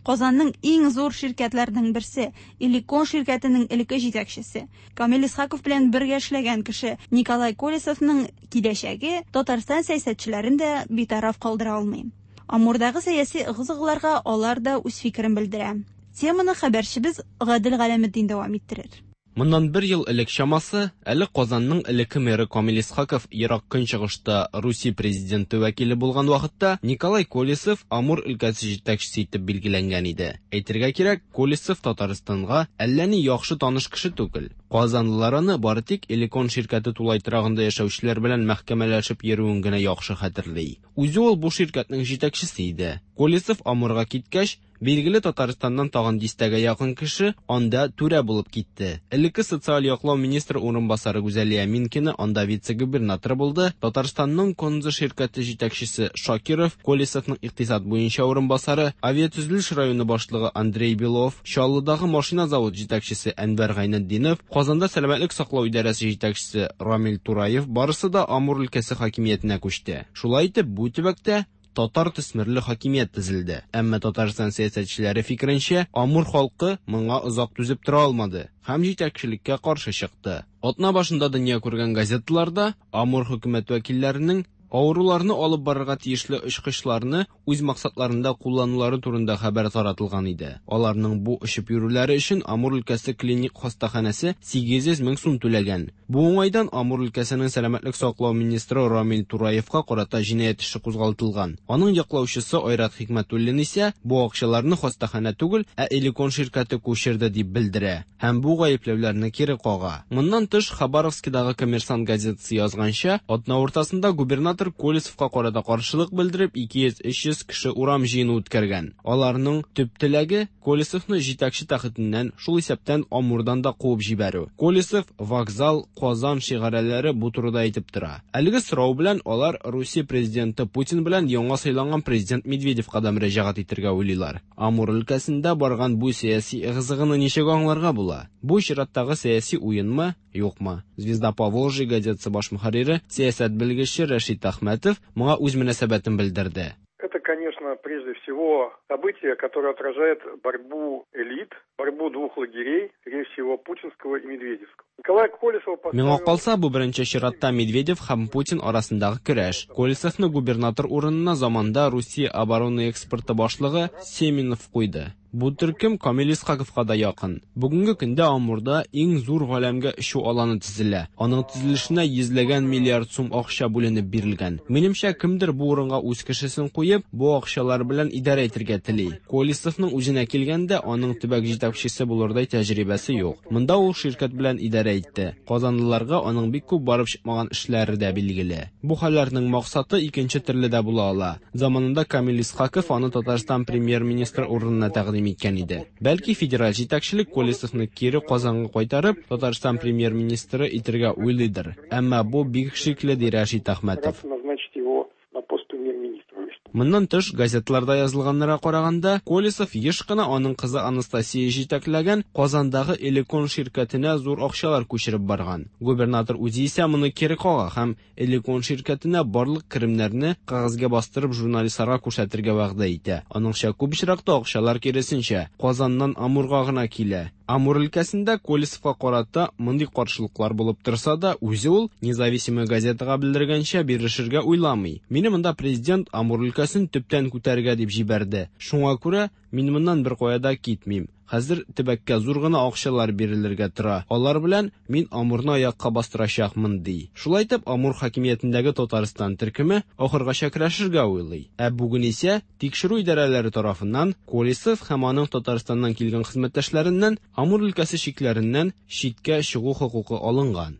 Казанның иң зур ширкәтләренең берсе, Элекон ширкәтенең элекке җитәкчесе Камил Исхаков белән бергә эшләгән кеше Николай Колесовның киләчәге Татарстан сәясәтчеләрен дә битараф калдыра алмый. Амурдагы сәяси ыгы-зыгыларга алар да үз фикерен белдерә. Теманы хәбәрчебез Гадел Галәметдин дәвам иттерер. Моннан бер ел элек чамасы, әле Казанның элекке мэры Камил Исхаков Ерак Көнчыгышта Русия президенты вәкиле булган вакытта Николай Колесов Амур өлкәсе җитәкчесе итеп билгеләнгән иде. Әйтергә кирәк, Колесов Татарстанга әллә ни яхшы таныш кеше түгел. Казанлылар аны бары тик Элекон ширкәте тулай торагында яшәүчеләр белән мәхкәмәләшеп йөрүен генә яхшы хәтерли. Үзе ул бу ширкәтнең җитәкчесе иде. Колесов Амурга киткәч, Билгеле, Татарстаннан тагын дистәгә якын кеше анда түрә булып китте. Элекке социаль яклау министры урынбасары Гүзәлия Минкина анда вице-губернатор булды, Татарстанның Конзо ширкәте җитәкчесе Шакиров, Колесовның икътисад буенча урынбасары, авиатөзелеш районы башлыгы Андрей Белов, Чаллыдагы машина завод җитәкчесе Әнвәр Гайнетдинов, Казанда сәламәтлек саклау идарәсе җитәкчесе Рамил Тураев барысы да Амур өлкәсе хакимиятенә күчте. Шулай итеп, бу төбәктә татар төсмерле хакимият төзелде. Әмма Татарстан сәясәтчеләре фикеренчә, Амур халкы моңа озак түзеп тора алмады һәм җитәкчелеккә каршы чыкты. Атна башында дөнья күргән газеталарда Амур хөкүмәт вәкилләренең авыруларны алып барырга тиешле очкычларны үз максатларында кулланулары турында хәбәр таратылган иде. Аларның бу очып йөрүләре өчен Амур өлкәсе клиник хастаханәсе 800 мең сум түләгән. Бу уңайдан Амур өлкәсенең сәламәтлек саклау министры Рамил Тураевка карата җинаять эше кузгалтылган. Аның яклаучысы Айрат Хикмәтуллин исә бу акчаларны хастаханә түгел, ә Элекон ширкәте күчерде дип белдерә һәм бу гаепләүләрне кире кага. Моннан тыш, Хабаровскидагы Коммерсант газетасы язганча, атна уртасында губернатор Колесовка карата каршылык белдереп 200-300 кеше урам җыены үткәргән. Аларның төп теләге Колесовны җитәкче тәхетеннән, шул исәптән Амурдан да куып җибәрү. Колесов, вокзал, Казан шигарәләре бу турыда әйтеп тора. Әлеге сорау белән алар Русия президенты Путин белән яңа сайланган президент Медведевка да мөрәҗәгать итәргә уйлыйлар. Амур өлкәсендә барган бу сәяси ыгы-зыгыны ничек аңларга була? Бу чираттагы сәяси уенмы, юкмы? Звезда Поволжья газетасы баш мөхәррире, сәясәт белгече Рәшит Әхмәтов моңа үз мөнәсәбәтен белдерде. Это, конечно, прежде всего событие, которое отражает борьбу элит, борьбу двух лагерей, скорее всего, путинского и медведевского. Николай Колесова Миңа калса, бу беренче чиратта Медведев һәм Путин арасындагы көрәш. Колесовны губернатор урынына заманда Русия оборона экспорты башлыгы Семенов куйды. Бу төркем Камил Исхаковка да якын. Бүгенге көндә Амурда иң зур галәмгә очу аланы төзелә. Аның төзелешенә йөзләгән миллиард сум акча бүленеп бирелгән. Минемчә, кемдер бу урынга үз кешесен куеп, бу акчалар белән идарә итәргә тели. Колесовның үзенә килгәндә, аның төбәк җитәкчесе булырдай тәҗрибәсе юк. Монда ул ширкәт белән идарә итте. Казанлыларга аның бик күп барып чыкмаган эшләре дә билгеле. Бу хәлләрнең максаты икенче төрле дә була ала. Заманында Камил Исхаков аны Татарстан премьер-министры урынына тәкъдим иткән иде. Бәлки федераль җитәкчелек Колесовны кире Казанга кайтарып, Татарстан премьер-министры итергә уйлыйдыр. Әмма бу бик шикле, ди Рәшит Әхмәтов. Назначить его на пост премьер-министра. Моннан тыш, газетларда язылганнарга караганда, Колесов еш кына аның кызы Анастасия җитәкләгән Казандагы Элекон ширкәтенә зур акчалар күчереп барган. Губернатор үзе исә моны кире кага һәм Элекон ширкәтенә барлык керемнәрне кәгазьгә бастырып журналистларга күрсәтергә вәгъдә итә. Аныңча, күп очракта акчалар киресенчә, Казаннан Амурга гына килә. Амур өлкәсендә Колесовка карата мондый каршылыклар булып торса да, үзе ул Независимая газетага белдергәнчә бирешергә уйламый. Мине монда президент Амур өлкәсен төптән күтәрергә дип җибәрде. Шуңа күрә мин моннан беркая да китмим. Хәзер төбәккә зур гына акчалар бирелергә тора. Алар белән мин Амурны аякка бастырачакмын, ди. Шулай итеп, Амур хакимиятендәге Татарстан төркеме ахыргача көрәшергә уйлый. Ә бүген исә тикшерү идарәләре тарафыннан Колесов һәм аның Татарстаннан килгән хезмәттәшләреннән Амур өлкәсе чикләреннән читкә чыгу хокукы алынган.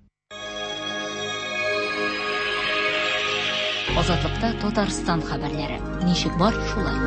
Азатлыкта Татарстан хәбәрләре. Ничек бар, шулай.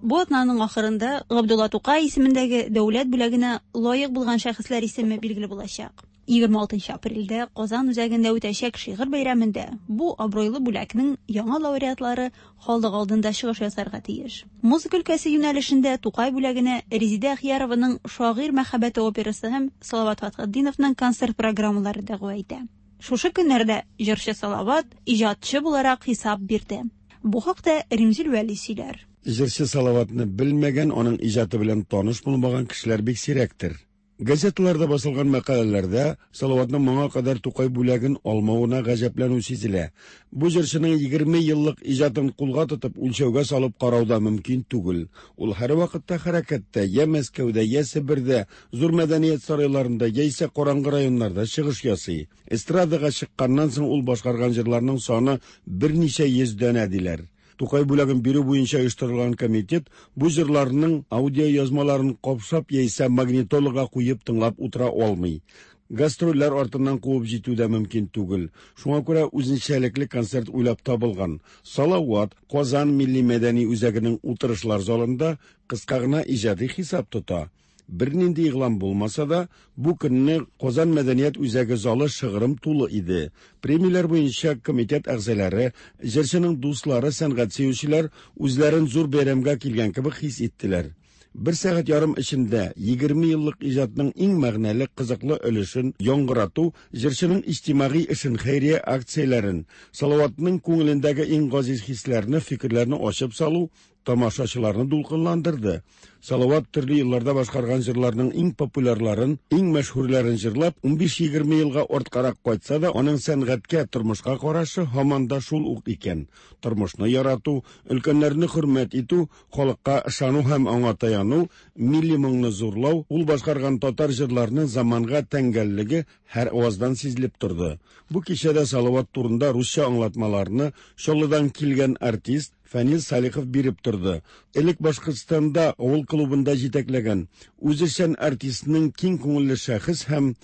Бу атнаның ахырында Габдулла Тукай исемендәге дәүләт бүләгенә лаек булган шәхесләр исеме билгеле булачак. 26 апрельдә Казан үзәгендә үтәчәк шигырь бәйрәмендә бу абруйлы бүләкнең яңа лауреатлары халык алдында чыгыш ясарга тиеш. Музыка өлкәсе юнәлешендә Тукай бүләгенә Резидә Әхиярованың Шагыйрь мәхәббәте операсы һәм Салават Фәтхетдиновның концерт программалары дәгъва итә. Шушы көннәрдә җырчы Салават иҗатчы буларак хисап бирде. Бу хакта Римзил Вәли сөйләр. Җырчы Салаватны белмәгән, аның иҗаты белән таныш булмаган кешеләр бик сирәктер. Газеталарда басылган мәкаләләрдә Салаватның моңа кадәр Тукай бүләген алмавына гаҗәпләнү сизелә. Бу җырчының 20 еллык иҗатын кулга тотып, үлчәүгә салып карау да мөмкин түгел. Ул һәрвакытта хәрәкәттә, я Мәскәүдә, я Себердә, зур мәдәният сарайларында, яисә караңгы районнарда чыгыш ясый. Эстрадага чыкканнан соң ул башкарган җырларның саны берничә йөз данә диләр. Тукай бүләген бирү буенча оештырылган комитет бу җырларның аудиоязмаларын капшап яисә магнитолага куеп тыңлап утыра алмый. Гастрольләр артыннан куып җитү дә мөмкин түгел. Шуңа күрә үзенчәлекле концерт уйлап табылган. Салават Казан милли мәдәни үзәгенең утырышлар залында кыска гына иҗади хисап тота. Бернинди игълан булмаса да, бу көнне Казан мәдәният үзәге залы шыгрым тулы иде. Премияләр буенча комитет әгъзалары, җырчының дуслары, сәнгать сөючеләр үзләрен зур бәйрәмгә килгән кебек хис иттеләр. Бер сәгать ярым эчендә 20 еллык иҗатның иң мәгънәле, кызыклы өлешен яңгырату, җырчының иҗтимагый эшен, хәйрия акцияләрен, Салаватның күңелендәге иң газиз хисләрне, фикерләрне ачып салу тамашачыларны дулкынландырды. Салават төрле елларда башкарган җырларның иң популярларын, иң мәшһүрләрен җырлап, 15-20 елга арткарак кайтса да, аның сәнгатькә, тормышка карашы һаман да шул ук икән. Тормышны ярату, өлкәннәрне хөрмәт итү, халыкка ышану һәм аңа таяну, милли моңны зурлау, ул башкарган татар җырларының заманга тәңгәллеге һәр аваздан сизелеп торды. Бу кичәдә Салават турында русча аңлатмаларны Чаллыдан килгән артист Фәнил Салихов биреп торды. Элек Башкортстанда авыл клубында җитәкләгән, үзешчән артистның киң күңелле шәхес һәм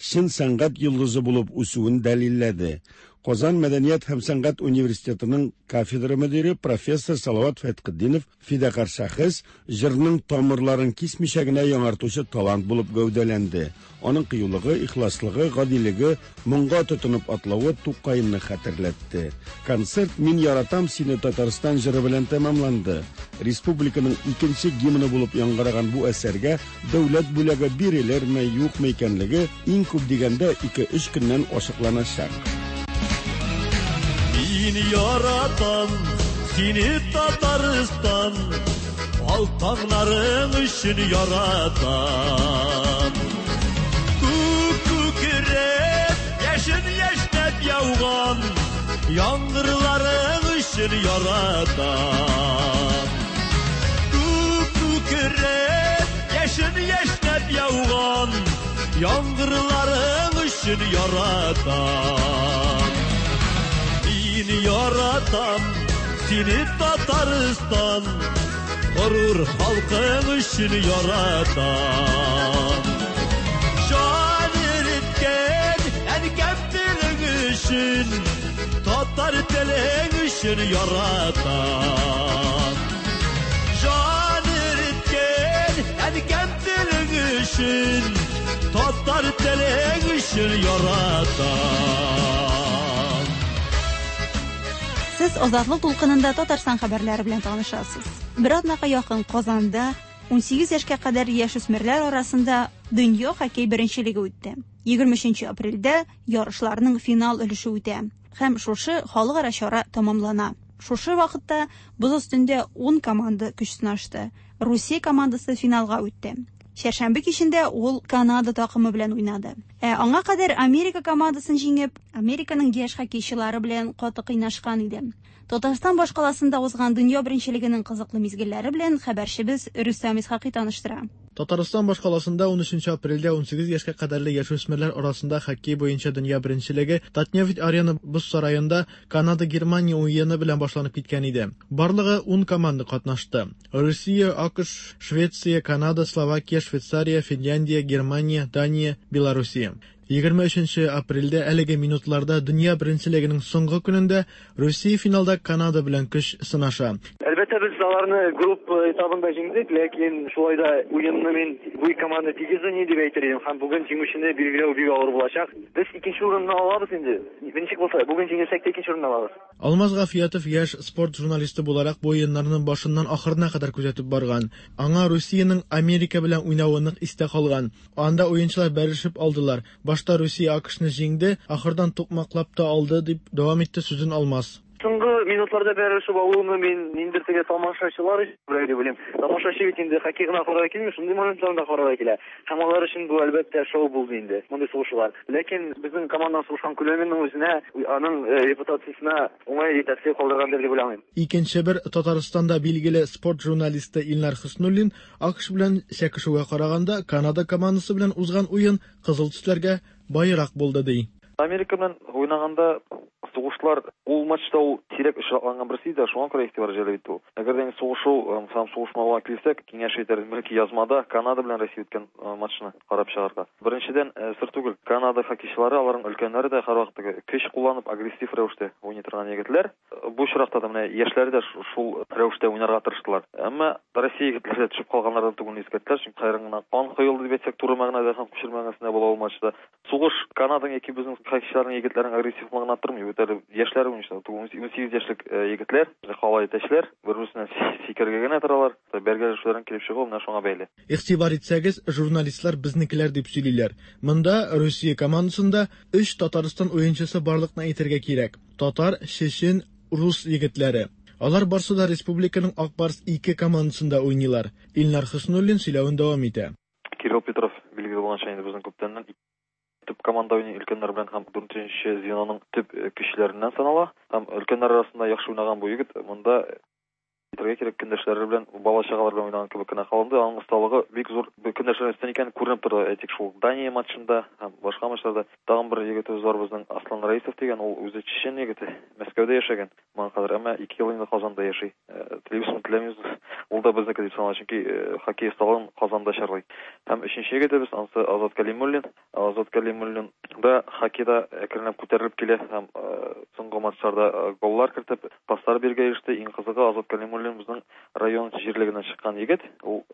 чын сәнгать йолдызы булып үсүен дәлилләде. Казан мәдәният һәм сәнгать университетының кафедра мөдире профессор Салават Фәтхетдинов фидакарь шәхес, җырның тамырларын кисмичә генә яңартучы талант булып гәүдәләнде. Аның кыюлыгы, ихласлыгы, гадилеге, моңга тотынып атлавы Тукайны хәтерләтте. Концерт Мин яратам сине Татарстан җыры белән тәмамланды. Республиканың икенче гимны булып яңгыраган бу әсәргә дәүләт бүләге бирелерме, юкмы икәнлеге иң күп дигәндә 2-3 көннән ачыкланачак. Мин яратам сине Татарстан, ал таңнарың өчен яратам. Күк күкрәп, яшен яшьнәп яуган яңгырларың өчен яратам. Күк күкрәп, яшен яшьнәп яуган яңгырларың өчен яратам. Мин яратам сине Татарстан, горур халкың өчен яратам. Җан иреткән әнкәм телең өчен, татар телең өчен яратам. Җан иреткән әнкәм телең өчен, татар телең өчен яратам. Сез Азатлык дулкынында Татарстан хәбәрләре белән танышасыз. Бер атнага якын Казанда 18 яшькә кадәр яшүсмерләр арасында дөнья хоккей беренчелеге үтте. 23 апрельдә ярышларның финал өлеше үтә һәм шушы халыкара чара тәмамлана. Шушы вакытта боз өстендә 10 команда көч сынашты. Русия командасы финалга үтте. Чәршәмбе кичендә ул Канада такымы белән уйнады. Ә аңа кадәр Америка командасын җиңеп, Американың яшь хоккейчылары белән каты кыйнашкан иде. Татарстан башкаласында узган дөнья беренчелегенең кызыклы мизгелләре белән хәбәрчебез Рөстәм Исхакый таныштыра. Татарстан башкаласында 13 апрельдә 18 яшькә кадәрле яшүсмерләр арасында хоккей буенча дөнья беренчелеге Татнефть Арена боз сараенда Канада-Германия уены белән башланып киткән иде. Барлыгы 10 команда катнашты. Россия, АКШ, Швеция, Канада, Словакия, Швейцария, Финляндия, Германия, Дания, Белоруссия. 23 апрельдә әлеге минутларда дөнья беренчелегенең соңгы көнендә Россия финалда Канада белән көч сынаша. Әлбәттә, без аларны группа этабында җиңдек, ләкин шулай да уенны мин бу команда тигез уйный дип әйтер идем һәм бүген җиңүчене билгеләү бик авыр булачак. Без икенче урынны алабыз инде. Ничек булса, бүген җиңелсәк тә икенче урынны алабыз. Алмаз Гафиятов яшь спорт журналисты буларак бу уеннарның башыннан ахырына кадәр күзәтеп барган. Аңа Русиянең Америка белән уйнавы нык истә калган. Анда уенчылар бәрелешеп алдылар. Башта Русия АКШны җиңде, ахырдан тукмаклап та алды, дип дәвам итте сүзен Алмаз. Соңгы минутларда бәрелешеп алуны мин ниндидер теге тамашачылар өчен күрә дип уйлыйм. Тамашачы бит инде хоккей гына карарга килми, шундый моментларны да карарга килә. Һәм алар өчен бу әлбәттә шоу булды инде, мондый сугышулар. Ләкин безнең команданың сугышкан күләменең үзенә, аның репутациясенә уңай тәэсир калдыргандыр дип уйламыйм. Икенче бер Татарстанда билгеле спорт журналисты Илнар Хөснуллин АКШ белән чәкешүгә караганда Канада командасы белән узган уен кызыл төсләргә баерак булды ди. Америка белән уйнаганда Сугышлар ул матчта ул сирәк очракланган берсе иде, шуңа күрә игътибар җәлеп итте ул. Әгәр дә инде сугышу һәм сугышмауга килсәк, киңәш итәр идем, бәлки язмада Канада белән Россия үткән матчны карап чыгарга. Беренчедән, сер түгел, Канада хоккейчылары, аларның өлкәннәре дә һәрвакыт теге көч кулланып, агрессив рәвештә уйный торган егетләр. Бу очракта да менә яшьләре дә шул рәвештә уйнарга тырыштылар. Әмма Россия егетләре дә төшеп калганнардан түгелен искәрттеләр, чөнки хәйран гына кан коелды дип әйтсәк, туры мәгънәдә һәм күчермә мәгънәсендә була ул матчта. Сугыш Канаданың яки безнең хоккейчыларның егетләрнең агрессивлыгына тормый. Бит әле яшьләр уенчылар, 18 яшьлек егетләр, калай әтәчләр, бер-берсеннән сикерергә генә торалар. Бәргәләшүләрнең килеп чыгуы менә шуңа бәйле. Игътибар итсәгез, журналистлар безнекеләр дип сөйлиләр. Монда Русия командасында өч Татарстан уенчысы барлыкны әйтергә кирәк. Татар, чечен, рус егетләре. Алар барсы да республиканың Ак Барс 2 командасында уйныйлар. Илнар Хөснуллин сөйләвен дәвам итә. Кирилл Петров, билгеле булганча, инде безнең күптәннән төп команда уйный өлкәннәр белән һәм дүртенче звеноның төп көчләреннән санала. Һәм өлкәннәр арасында яхшы уйнаган бу егет монда әйтергә кирәк, көндәшләре белән, бала-чагалар белән уйнаган кебек кенә калынды. Аның осталыгы бик зур көндәшләрдән өстен икәне күренеп торды. Әйтик, шул Дания матчында һәм башка матчларда. Тагын бер егетебез бар безнең, Аслан Раисов дигән, ул үзе чечен егете, Мәскәүдә яшәгән моңа кадәр, әмма 2 ел инде Казанда яши. Телибезме, теләмибезме, ул да безнеке дип санала, чөнки хоккей осталыгын Казанда чарлый. Һәм өченче егетебез, анысы Азат Кәлимуллин. Азат Кәлимуллин да хоккейда әкренләп күтәрелеп килә һәм соңгы матчларда голлар кертеп, паслар бирергә иреште. Иң кызыгы, Азат Кәлимуллин безнең район җирлегеннән чыккан егет. Ул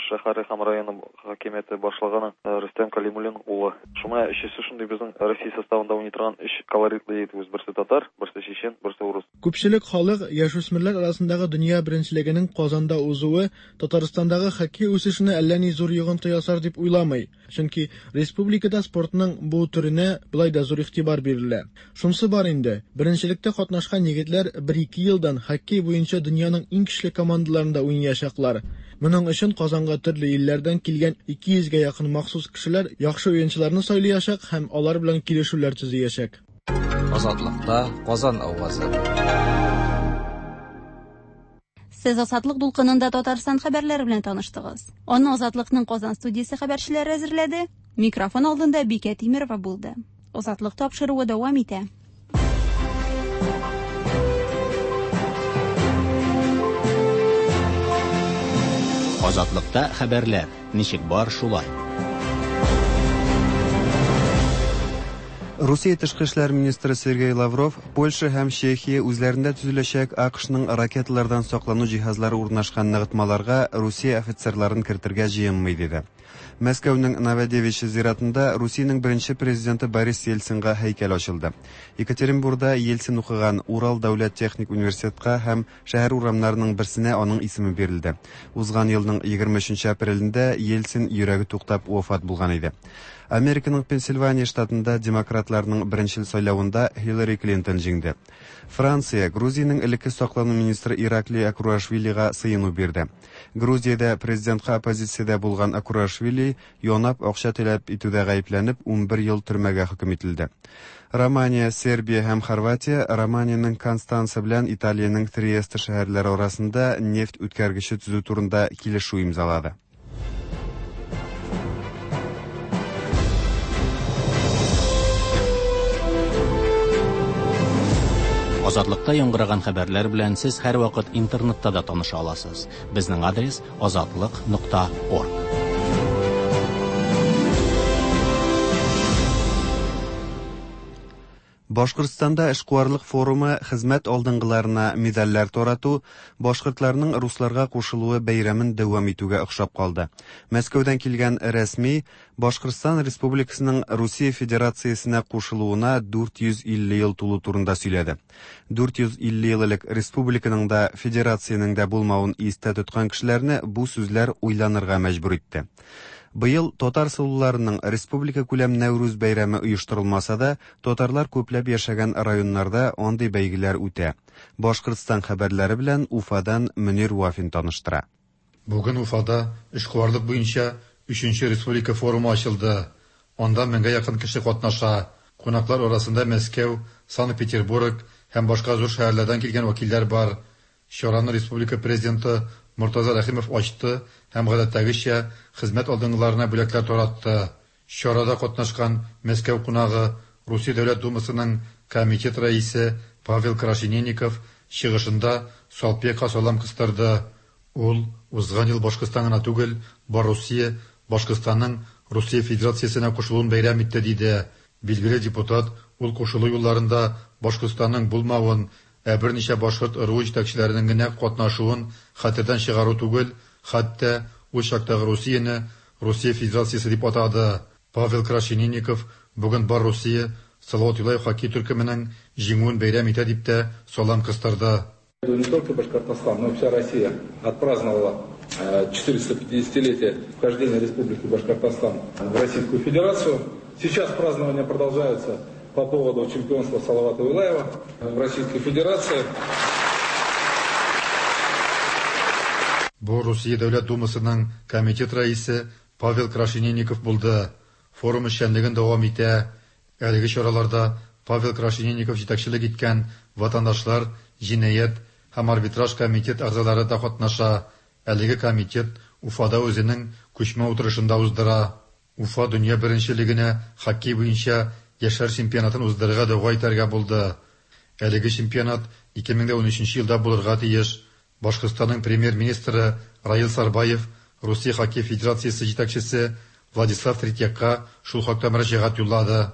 шәһәре һәм районы хакимияте башлыгының Рөстәм Кәлимуллин улы. Шуңа өчесе шундый безнең Россия составында уйный торган өч колоритлы егетебез. Берсе татар, берсе чечен, берсе урыс. Күпчелек халык яшүсмерләр арасындагы дөнья беренчелегенең Казанда узуы Татарстандагы хоккей үсешенә әллә ни зур йогынты ясар дип уйламый. Чөнки республикада спортның бу төренә болай да зур игътибар бирелә. Шунсы бар инде, беренчелектә катнашкан егетләр бер-ике елдан хоккей буенча дөньяның иң көчле командаларында уйнаячаклар. Моның өчен Казанга төрле илләрдән килгән 200 гә якын махсус кешеләр яхшы уенчыларны сайлыячак һәм алар белән килешүләр төзиячәк. Азатлыкта Казан авазы. Сез Азатлык дулкынында Татарстан хәбәрләре белән таныштыгыз. Аны Азатлыкның Казан студиясе хәбәрчеләре әзерләде. Микрофон алдында Бикә Тимерова булды. Азатлык тапшыруы дәвам итә. Азатлыкта хәбәрләр ничек бар шулай. Русия тышкы эшләр министры Сергей Лавров Польша һәм Чехия үзләрендә төзеләчәк АКШның ракеталардан саклану җиһазлары урнашкан ныгытмаларга Русия офицерларын кертергә җыенмый диде. Мәскәүнең Новодевичье зиратында Русиянең беренче президенты Борис Ельцинга һәйкәл ачылды. Екатеринбурда Ельцин укыган Урал дәүләт техник университетка һәм шәһәр урамнарының берсенә аның исеме бирелде. Узган елның 23 апрелендә Ельцин йөрәге туктап вафат булган иде. Американың Пенсильвания штатында демократларның беренчел сайлавында Хиллари Клинтон җиңде. Франция Грузиянең элекке саклану министры Ираклий Окруашвилига сыену бирде. Грузиядә президентка оппозициядә булган Окруашвили янап акча таләп итүдә гаепләнеп 11 ел төрмәгә хөкем ителде. Романия, Сербия һәм Хорватия Романиянең Констанца белән Италиянең Триесте шәһәрләре арасында нефть үткәргече төзү турында килешү имзалады. Азатлыкта яңгыраган хәбәрләр белән сез һәрвакыт интернетта да таныша аласыз. Безнең адрес азатлык.орг. Башкортстанда эшкуарлык форумы хезмәт алдынгыларына медальләр тарату, башкортларның русларга кушылуы бәйрәмен дәвам итүгә охшап калды. Мәскәүдән килгән рәсми Башкортстан Республикасының Русия Федерациясенә кушылуына 450 ел тулу турында сөйләде. 450 ел элек республиканың да, федерациянең дә булмавын истә тоткан кешеләрне бу сүзләр уйланырга мәҗбүр итте. Быел татар сылуларының республика күләм Нәүрүз бәйрәме оештырылмаса да, татарлар күпләп яшәгән районнарда андый бәйгеләр үтә. Башкортстан хәбәрләре белән Уфадан Мөнир Вафин таныштыра. Бүген Уфада эшкуарлык буенча өченче республика форумы ачылды. Анда меңгә якын кеше катнаша. Кунаклар арасында Мәскәү, Санкт-Петербург һәм башка зур шәһәрләрдән килгән вәкилләр бар. Чараны республика президенты Мортаза Рәхимов ачты һәм гадәттәгечә хезмәт алдынгыларына бүләкләр таратты. Чарада катнашкан Мәскәү кунагы, Русия Дәүләт Думасының комитет рәисе Павел Крашенинников чыгышында Салпекка салам кыстырды. Ул узган ел Башкортстан гына түгел, бар Русия Башкортстанның Русия Федерациясенә кушылуын бәйрәм итте, диде. Билгеле депутат ул кушылу юлларында Башкортстанның булмавын, ә берничә башкорт ыруы җитәкчеләренең генә катнашуын хәтердән чыгару түгел, хәтта ул чактагы Русияне Русия Федерациясе дип атады. Павел Крашенинников бүген бар Русия Салават Юлаев хоккей төркеменең җиңүен бәйрәм итә дип тә салам кыстырды. Не только Башкортостан, но и вся Россия отпраздновала 450-летие вхождения Республики Башкортостан в Российскую Федерацию. Сейчас празднования продолжаются по поводу чемпионства Салавата Юлаева в Российской Федерации. Бу Русия Дәүләт Думасының комитет рәисе Павел Крашенинников булды. Форум эшчәнлеген дәвам итә. Әлеге чараларда Павел Крашенинников җитәкчелек иткән ватандашлар, җинаять һәм арбитраж комитет әгъзалары да катнаша. Әлеге комитет Уфада үзенең күчмә утырышын да уздыра. Уфа дөнья беренчелегенә хоккей буенча яшьләр чемпионатын уздырырга дәгъва итәргә булды. Әлеге чемпионат 2013 елда булырга тиеш. Башкортстанның премьер-министры Раил Сарбаев Русия хоккей федерациясе җитәкчесе Владислав Третьякка шул хакта мөрәҗәгать юллады.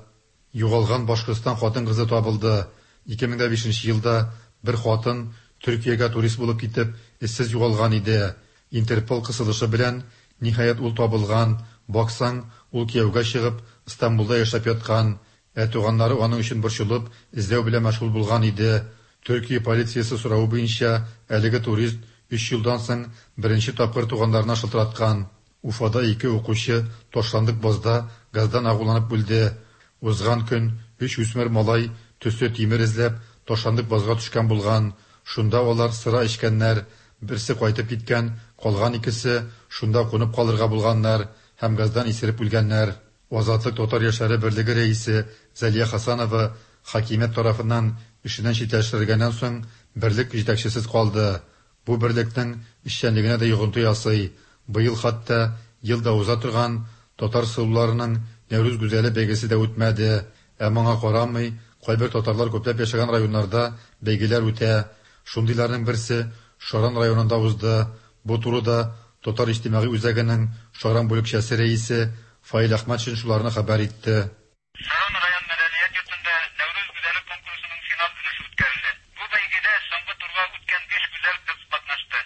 Югалган Башкортстан хатын-кызы табылды. 2005 елда бер хатын Төркиягә турист булып китеп, эзсез югалган иде. Интерпол кысылышы белән, ниһаять, ул табылган. Баксаң, ул кияүгә чыгып, Истанбулда яшәп яткан. Ә туганнары аның өчен борчылып, эзләү белән мәшгуль булган иде. Төркия полициясе соравы буенча, әлеге турист өч елдан соң беренче тапкыр туганнарына шылтыраткан. Уфада ике укучы ташландык базда газдан агуланып үлде. Узган көн өч үсмер малай төсле тимер эзләп, ташландык базга төшкән булган. Шунда алар сыра эчкәннәр. Берсе кайтып киткән, калган икесе шунда кунып калырга булганнар һәм газдан исереп үлгәннәр. Азатлык татар яшьләре берлеге рәисе Зәлия Хасанова хакимият тарафыннан эшеннән читләштерелгәннән соң берлек җитәкчесез калды. Бу берлекнең эшчәнлегенә дә йогынты ясый. Быел хәтта ел да уза торган татар сылуларының Нәүрүз гүзәле бәйгесе дә үтмәде. Ә моңа карамый, кайбер татарлар күпләп яшәгән районнарда бәйгеләр үтә. Шундыйларның берсе Шаран районында узды. Бу турыда Татар иҗтимагый үзәгенең Шаран бүлекчәсе рәисе Фаил Әхмәтшин шуларны хәбәр итте. Шаран район мәдәният йортында Нәүрүз гүзәле конкурсының финал өлеше үткәрелде. Бу бәйгедә соңгы турга үткән биш гүзәл кыз катнашты.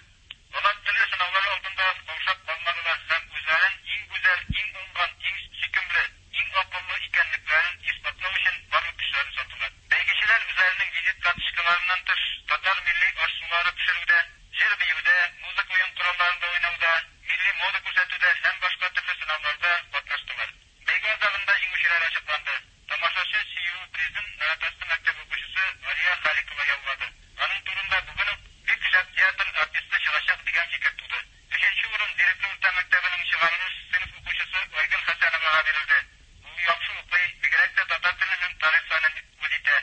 Алар төрле сынаулар алдында каушап калмадылар һәм үзләрен иң гүзәл, иң уңган, иң сөйкемле, иң акыллы икәнлекләрен исбатлау өчен барлык көчләрен салдылар. Бәйгечеләр үзләренең визит карточкаларыннан тыш, татар милли аш-сулары пешерүдә, җыр-биюдә, музыка уен коралларында уйнауда, милли мода күрсәтүдә һәм башка төрле сынауларда катнаштылар. Бәйге азагында җиңүчеләр ачыкланды. Тамашачы сөюе призын Наратасты мәктәбе укучысы Алия Халикова яулады. Аның турында бүген үк бик шәп театр артисты чыгачак дигән фикер туды. Өченче урын Зирекле урта мәктәбенең чыгарылыш сыйныф укучысы Айгөл Хәсәновага бирелде. Ул яхшы укый, бигрәк тә татар теле һәм тарих фәнен үз итә.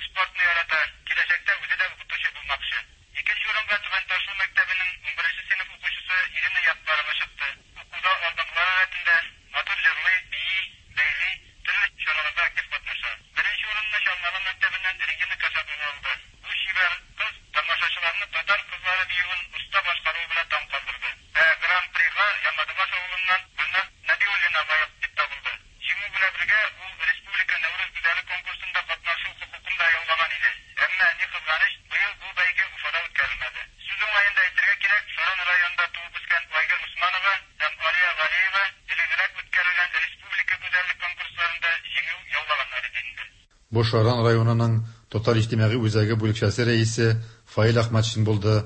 Спортны ярата, киләчәктә үзе дә укытучы булмакчы. Икенче урынга Түбән Ташлы мәктәбенең унберенче сыйныф укучысы Ирина Яппарова чыкты. Укуда алдынгылар рәтендә, матур җырлый, бии, бәйли, төрле чараларда актив катнаша. Беренче урынны Чалмалы мәктәбеннән Регина Касапова алды. Бу чибәр кыз тамашачыларны татар кызлары биюен оста башкаруы белән таң калдырды. Ә Гран-прига Ямадыбаш авылыннан Гөлназ Нәбиуллина лаек дип табылды. Җиңү белән бергә ул республика Нәүрүз гүзәле конкурсында катнашу хокукын да яулаган иде. Әмма, ни кызганыч, быел бу бәйге Уфада үткәрелмәде. Сүз уңаенда әйтергә кирәк, Шаран районында туып үскән Айгөл Усманова һәм Алия Галиева элегрәк үткәрелгән республика гүзәллек конкурсларында җиңү яулаганнар иде инде. Бу Шаран районының Татар иҗтимагый үзәге бүлекчәсе рәисе Фаил Әхмәтшин булды.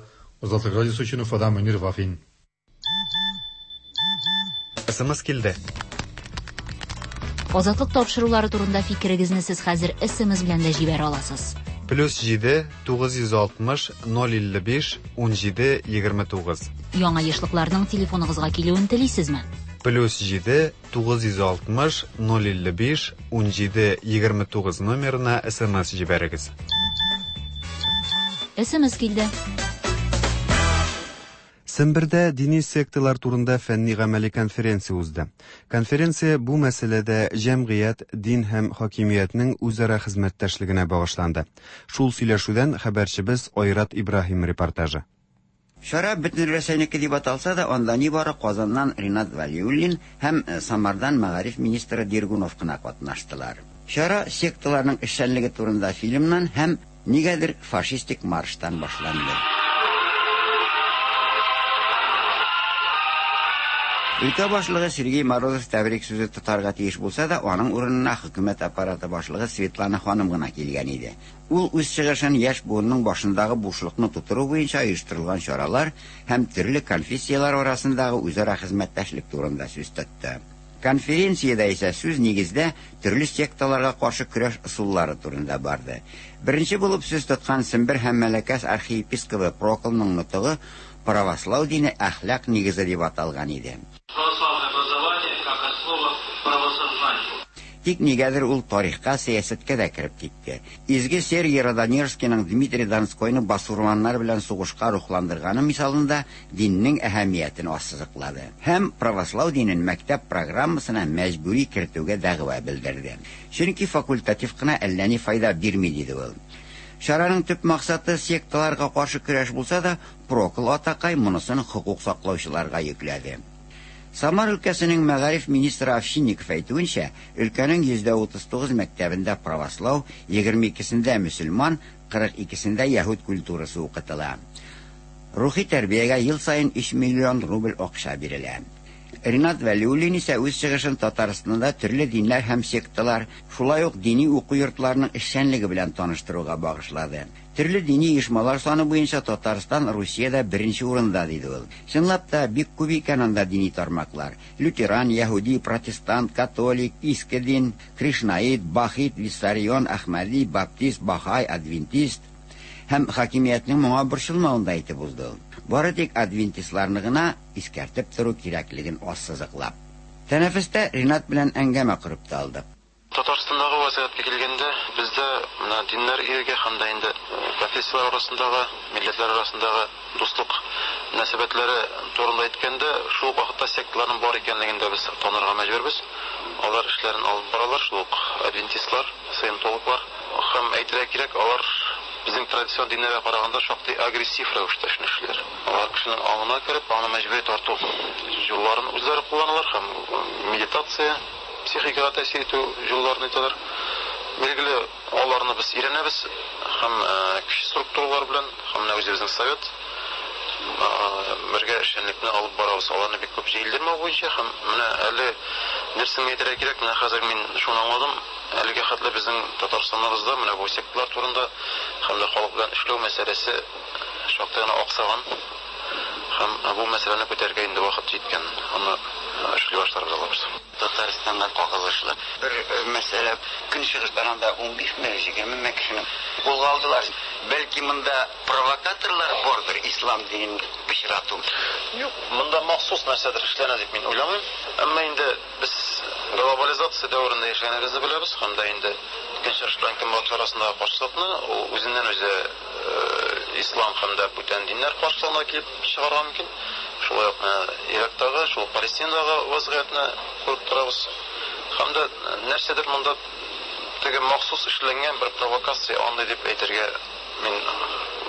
Азатлык радиосы өчен Уфадан Мөнир Вафин. СМС килде. Азатлык тапшырулары турында фикерегезне сез хәзер СМС белән дә җибәрә аласыз. Плюс 7 960 055 17 29. Яңа ешлыкларның телефоныгызга килүен телисезме? Плюс 7 960 055 17 29 номерына СМС җибәрегез. СМС килде. Сембердә дини секталар турында фәнни-гамәли конференция узды. Конференция бу мәсьәләдә җәмгыять, дин һәм хакимиятнең үзара хезмәттәшлегенә багышланды. Шул сөйләшүдән хәбәрчебез Айрат Ибраһим репортажы. Чара Бөтенрәсәйнеке дип аталса да, анда нибары Казаннан Ринат Вәлиуллин һәм Самардан мәгариф министры Дергунов кына катнаштылар. Чара секталарның эшчәнлеге турында фильмнан һәм, нигәдер, фашистик марштан башланды. Өлкә башлыгы Сергей Морозов тәбрик сүзе тотарга тиеш булса да, аның урынына хөкүмәт аппараты башлыгы Светлана ханым гына килгән иде. Ул үз чыгышын яшь буынның башындагы бушлыкны тутыру буенча оештырылган чаралар һәм төрле конфессияләр арасындагы үзара хезмәттәшлек турында сүз тотты. Конференциядә исә сүз нигездә төрле секталарга каршы көрәш ысуллары турында барды. Беренче булып сүз тоткан Сембер һәм Мәләкәс архиепискобы Проклның нотыгы Правослау дине әхлак нигезе дип аталган иде. Православное образование как основа правосознания. Тик нигәдер ул тарихка, сәясәткә дә кереп китте. Изге Сергий Радонежскийның Дмитрий Донскойны басурманнар белән сугышка рухландырганы мисалында диннең әһәмиятен ассызыклады һәм правослау динен мәктәп программасына мәҗбүри кертүгә дәгъва белдерде. Чөнки факультатив кына әллә ни файда бирми, диде ул. Чараның төп максаты секталарга каршы көрәш булса да, Прокл атакай монысын хокук саклаучыларга йөкләде. Самар өлкәсенең мәгариф министры Овчинников әйтүенчә, өлкәнең 39% мәктәбендә правослау, 22сендә мөселман, 42сендә яһүд культурасы укытыла. Рухи тәрбиягә ел саен 3 миллион рубль акча бирелә. Ринат Вәлиуллин исә үз чыгышын Татарстанда төрле диннәр һәм секталар, шулай ук дини уку йортларының эшчәнлеге белән таныштыруга багышлады. Төрле дини оешмалар саны буенча Татарстан Русиядә беренче урында, диде ул. Чынлап та, бик күп икән анда дини тармаклар. Лютеран, яһүди, протестант, католик, иске дин, кришнаит, бахит, виссарион, әхмәди, баптист, бахай, адвентист. Һәм хакимиятнең моңа борчылмавын да әйтеп узды ул. Бары тик адвентистларны гына искәртеп тору кирәклеген ассызыклап. Тәнәфестә Ринат белән әңгәмә корып та алдык. Татарстандагы вазгыятькә килгәндә, бездә менә диннәр иреге һәм дә инде конфессияләр арасындагы, милләтләр арасындагы дуслык мөнәсәбәтләре турында әйткәндә, шул ук вакытта секталарның бар икәнлеген дә без танырга мәҗбүрбез. Алар эшләрен алып баралар, шул ук адвентистлар, саентологлар. Һәм әйтергә кирәк, алар безнең традицион диннәргә караганда шактый агрессив рәвештә эшне эшлиләр. Алар кешенең аңына кереп, аны мәҗбүри тарту юлларын үзләре кулланалар һәм медитация, психикага тәэсир итү юлларын әйтәләр. Билгеле, аларны без өйрәнәбез һәм көч структуралар белән, һәм менә үзебезнең совет бергә эшчәнлекне алып барабыз. Аларны бик күп җәелдермәү буенча һәм менә әле дөресен әйтергә кирәк, менә хәзер мин шуны аңладым, әлегә хәтле безнең Татарстаныбызда менә бу секталар турында һәм дә халык белән эшләү мәсьәләсе шактый гына аксаган һәм бу мәсьәләне күтәрергә инде вакыт җиткән. Аны эшли башларбыз алабыз. Татарстанга кагылышлы бер мәсьәлә. Көнчыгыштан анда унбишме, егермеме кешене кулга алдылар. Бәлки монда провокаторлар бардыр, ислам динен пычрату. Юк, монда махсус нәрсәдер эшләнә дип мин уйламыйм. Әмма инде без глобализация дәверендә яшәгәнебезне беләбез һәм дә инде Көнчыгыш белән Көнбатыш арасындагы каршылыкны ул үзеннән-үзе ислам һәм дә бүтән диннәр каршылыгына килеп чыгарга мөмкин. Шулай ук менә Ирактагы, шул ук Палестинадагы вазгыятьне күреп торабыз. Һәм дә нәрсәдер монда теге махсус эшләнгән бер провокация андый дип әйтергә мин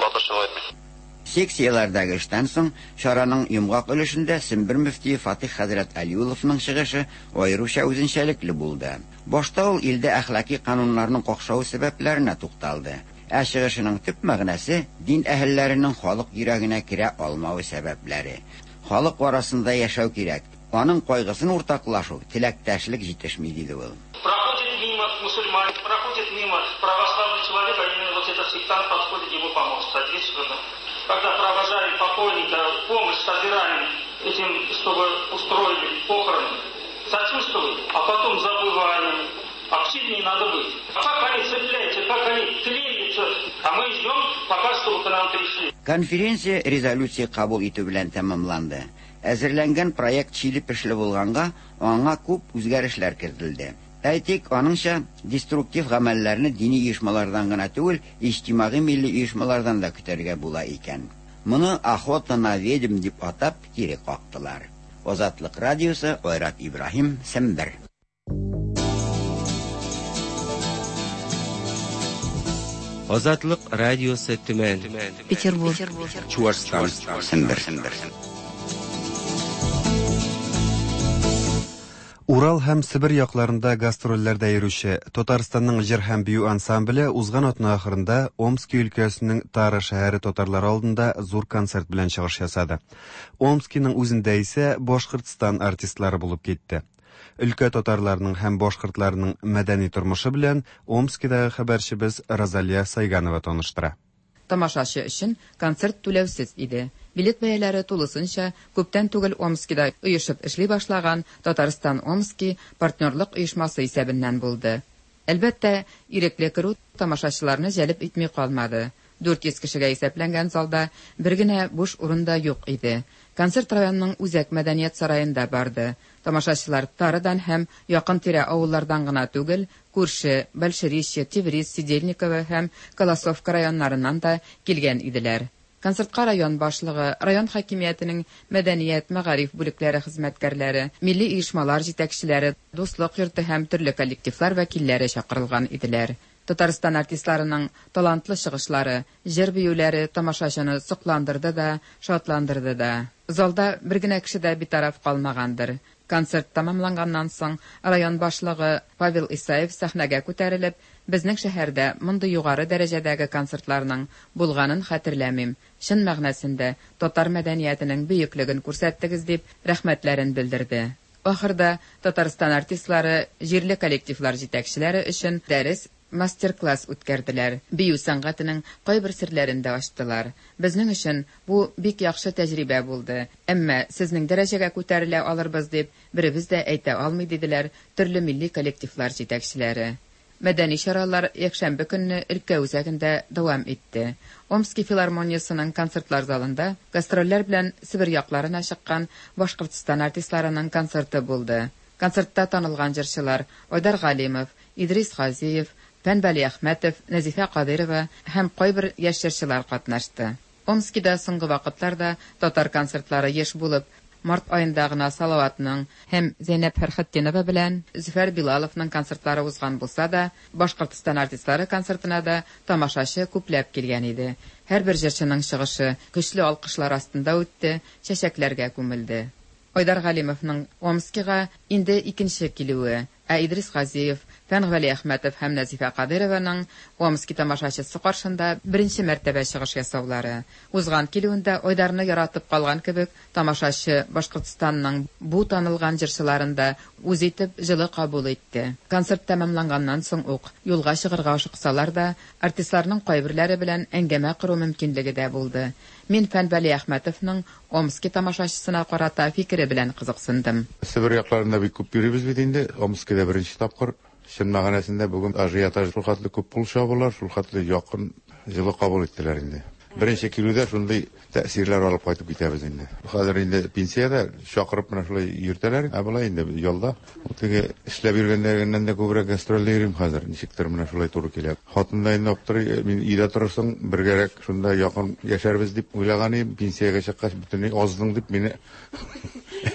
батырчылык итмим. Секцияләрдәге эштән соң, чараның йомгак өлешендә Сембер мөфтие Фатих хәзрәт Алиулловның чыгышы аеруча үзенчәлекле булды. Башта ул илдә әхлаки кануннарның какшавы сәбәпләренә тукталды. Ә чыгышының төп мәгънәсе, дин әһелләренең халык йөрәгенә керә алмавы сәбәпләре. Халык арасында яшәү кирәк, аның кайгысын уртаклашу, теләктәшлек җитешми, диде ул. Проходит мимо мусульманин, проходит мимо православный человек, а именно вот этот сектант подходит ему помочь, соответственно. Когда провожаем покойника, помощь собираем этим, чтобы устроили похороны, сочувствуем, а потом забываем. Активнее надо быть. А как они цепляются, как они клеятся, а мы ждем, пока чтобы к нам пришли. Конференция резолюция кабул итү белән тәмамланды. Әзерләнгән проект чиле-пешле булганга, аңа күп үзгәрешләр кертелде. Әйтик, аныңча, деструктив гамәлләрне дини оешмалардан гына түгел, иҗтимагый милли оешмалардан да көтәргә була икән. Моны охота на ведьм дип атап, кире кактылар. Азатлык радиосы, Айрат Ибраһим, Сембер. Азатлык радиосы Төмән. Петербург. Чуашстан. Сембер. Урал һәм Себер якларында гастрольләрдә йөрүче Татарстанның җыр һәм бию ансамбле узган атна ахырында Омски өлкәсенең Тара шәһәре татарлары алдында зур концерт белән чыгыш ясады. Омскиның үзендә исә Башкортстан артистлары булып китте. Өлкә татарларының һәм башкортларының мәдәни тормышы белән Омскидагы хәбәрчебез Розалия Сайганова таныштыра. Тамашачы өчен концерт түләүсез иде. Билет бәяләре тулысынча күптән түгел Омскида оешып эшли башлаган Татарстан-Омски партнерлык оешмасы исәбеннән булды. Әлбәттә, ирекле керү тамашачыларны җәлеп итми калмады. 400 кешегә исәпләнгән залда бер генә буш урын да юк иде. Концерт районның үзәк мәдәният сараенда барды. Тамашачылар Тарыдан һәм якын-тирә авыллардан гына түгел, күрше Большеречье, Тевриз, Сидельниково һәм Колосовка районнарыннан да килгән иделәр. Концертка район башлыгы, район хакимиятенең мәдәният, мәгариф бүлекләре хезмәткәрләре, милли оешмалар җитәкчеләре, Дуслык йорты һәм төрле коллективлар вәкилләре чакырылган иделәр. Татарстан артистларының талантлы чыгышлары, җыр-биюләре тамашачыны сокландырды да, шатландырды да. Залда бер генә кеше дә битараф калмагандыр. Концерт тәмамланганнан соң, район башлыгы Павел Исаев сәхнәгә күтәрелеп, Безнең шәһәрдә мондый югары дәрәҗәдәге концертларның булганын хәтерләмим, чын мәгънәсендә татар мәдәниятенең бөеклеген күрсәттегез, дип рәхмәтләрен белдерде. Ахырда Татарстан артистлары җирле коллективлар җитәкчеләре өчен дәрес, мастер-класс үткәрделәр, бию сәнгатенең кайбер серләрен дә ачтылар. Безнең өчен бу бик яхшы тәҗрибә булды, әмма сезнең дәрәҗәгә күтәрелә алырбыз дип беребез дә әйтә алмый, диделәр төрле милли коллективлар җитәкчеләре. Мәдәни чаралар якшәмбе көнне өлкә үзәгендә дәвам итте. Омски филармониясенең концертлар залында гастрольләр белән Себер якларына чыккан Башкортстан артистларының концерты булды. Концертта танылган җырчылар Айдар Галимов, Идрис Газиев, Фән Вәлиәхмәтов, Нәзифә Кадыйрова һәм кайбер яшь җырчылар катнашты. Омскида соңгы вакытларда татар концертлары еш булып, март аенда гына Салаватның һәм Зәйнәб Фәрхетдинова белән Зөфәр Билаловның концертлары узган булса да, Башкортстан артистлары концертына да тамашачы күпләп килгән иде. Һәрбер җырчының чыгышы көчле алкышлар астында үтте, чәчәкләргә күмелде. Айдар Галимовның Омскига инде икенче килүе, ә Идрис Газиев, Фән Вәлиәхмәтов һәм Нәзифә Кадыйрованың Омски тамашачысы каршында беренче мәртәбә чыгыш ясаулары. Узган килүендә Айдарны яратып калган кебек, тамашачы Башкортстанның бу танылган җырчыларын да үз итеп, җылы кабул итте. Концерт тәмамланганнан соң ук юлга чыгарга ашыксалар да, артистларның кайберләре белән әңгәмә кору мөмкинлеге дә булды. Мин Фән Вәлиәхмәтовның Омски тамашачысына карата фикере белән кызыксындым. Себер якларында бик күп йөрибез бит инде. Омскида беренче тапкыр. Чын мәгънәсендә бүген ажиотаж шулхәтле күп кул чабулар, шулхәтле якын, җылы кабул иттеләр инде. Беренче килүдә шундый тәэсирләр алып кайтып китәбез инде. Хәзер инде пенсиядә чакырып менә шулай йөртәләр, ә болай инде ялда. Ул теге эшләп йөргәндәгеннән дә күбрәк гастрольдә йөрим хәзер. Ничектер менә шулай туры килә. Хатын да инде аптырый, мин өйдә торырсың, бергәрәк шунда якын яшәрбез дип уйлаган идем. Пенсиягә чыккач бөтенләй аздың дип мине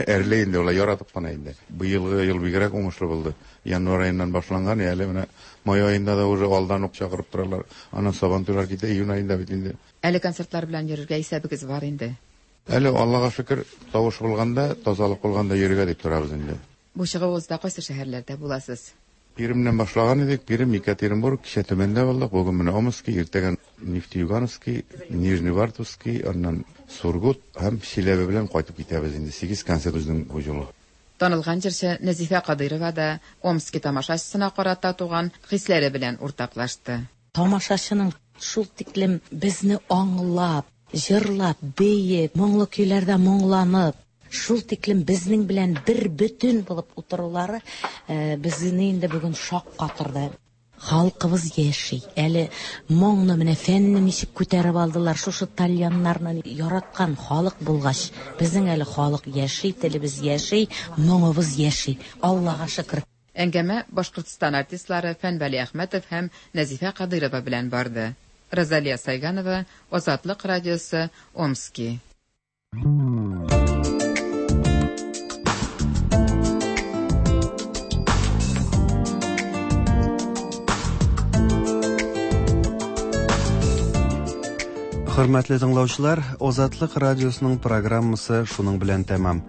әрли инде, улай яратып кына инде. Быелгы ел бигрәк уңышлы булды. Январь аеннан башланган, әле менә май аенда да уже алдан ук чакырып торалар. Аннан Сабантуйлар китә, июнь аенда бит инде. Әле концертлар белән йөрергә исәбегез бар инде. Әле Аллага шөкер, тавыш булганда, тазалык булганда йөрергә дип торабыз инде. Бу чыгуыгызда кайсы шәһәрләрдә буласыз? Пермьнән башлаган идек, Пермь, Екатеринбург, кичә Төмәндә булдык, бүген менә Омски, иртәгә Нефтеюгановский, Нижневартовский, аннан Сургут һәм Чиләбе белән кайтып китәбез инде. Сигез концерт безнең бу юлы. Танылган җырчы Нәзифә Кадыйрова да Омски тамашачысына карата туган хисләре белән уртаклашты. Тамашачының шул тиклем безне аңлап, җырлап, биеп, моңлы көйләрдә моңланып, шул тиклем безнең белән бер бөтен булып утырулары безне инде бүген шаккатырды. Халкыбыз яши. Әле моңны менә фәнне ничек күтәреп алдылар, шушы тальяннарны яраткан халык булгач, безнең әле халык яши, телебез яши, моңыбыз яши. Аллага шөкер. Әңгәмә Башкортстан артистлары Фән Вәлиәхмәтов һәм Нәзифә Кадыйрова белән барды. Розалия Сайганова, Азатлык радиосы, Омски. Хөрмәтле тыңлаучылар, Азатлык радиосының программасы шуның белән тәмам.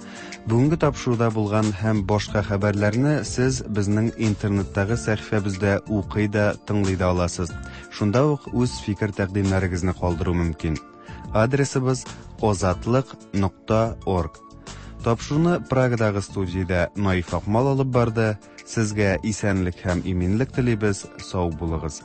Бүгенге тапшыруда булган һәм башка хәбәрләрне сез безнең интернеттагы сәхифәбездә укый да, тыңлый да аласыз. Шунда ук үз фикер-тәкъдимнәрегезне калдыру мөмкин. Адресыбыз озатлык.орг. Тапшыруны Прагадагы студиядә Наиф Акмал алып барды. Сезгә исәнлек һәм иминлек телибез. Сау булыгыз.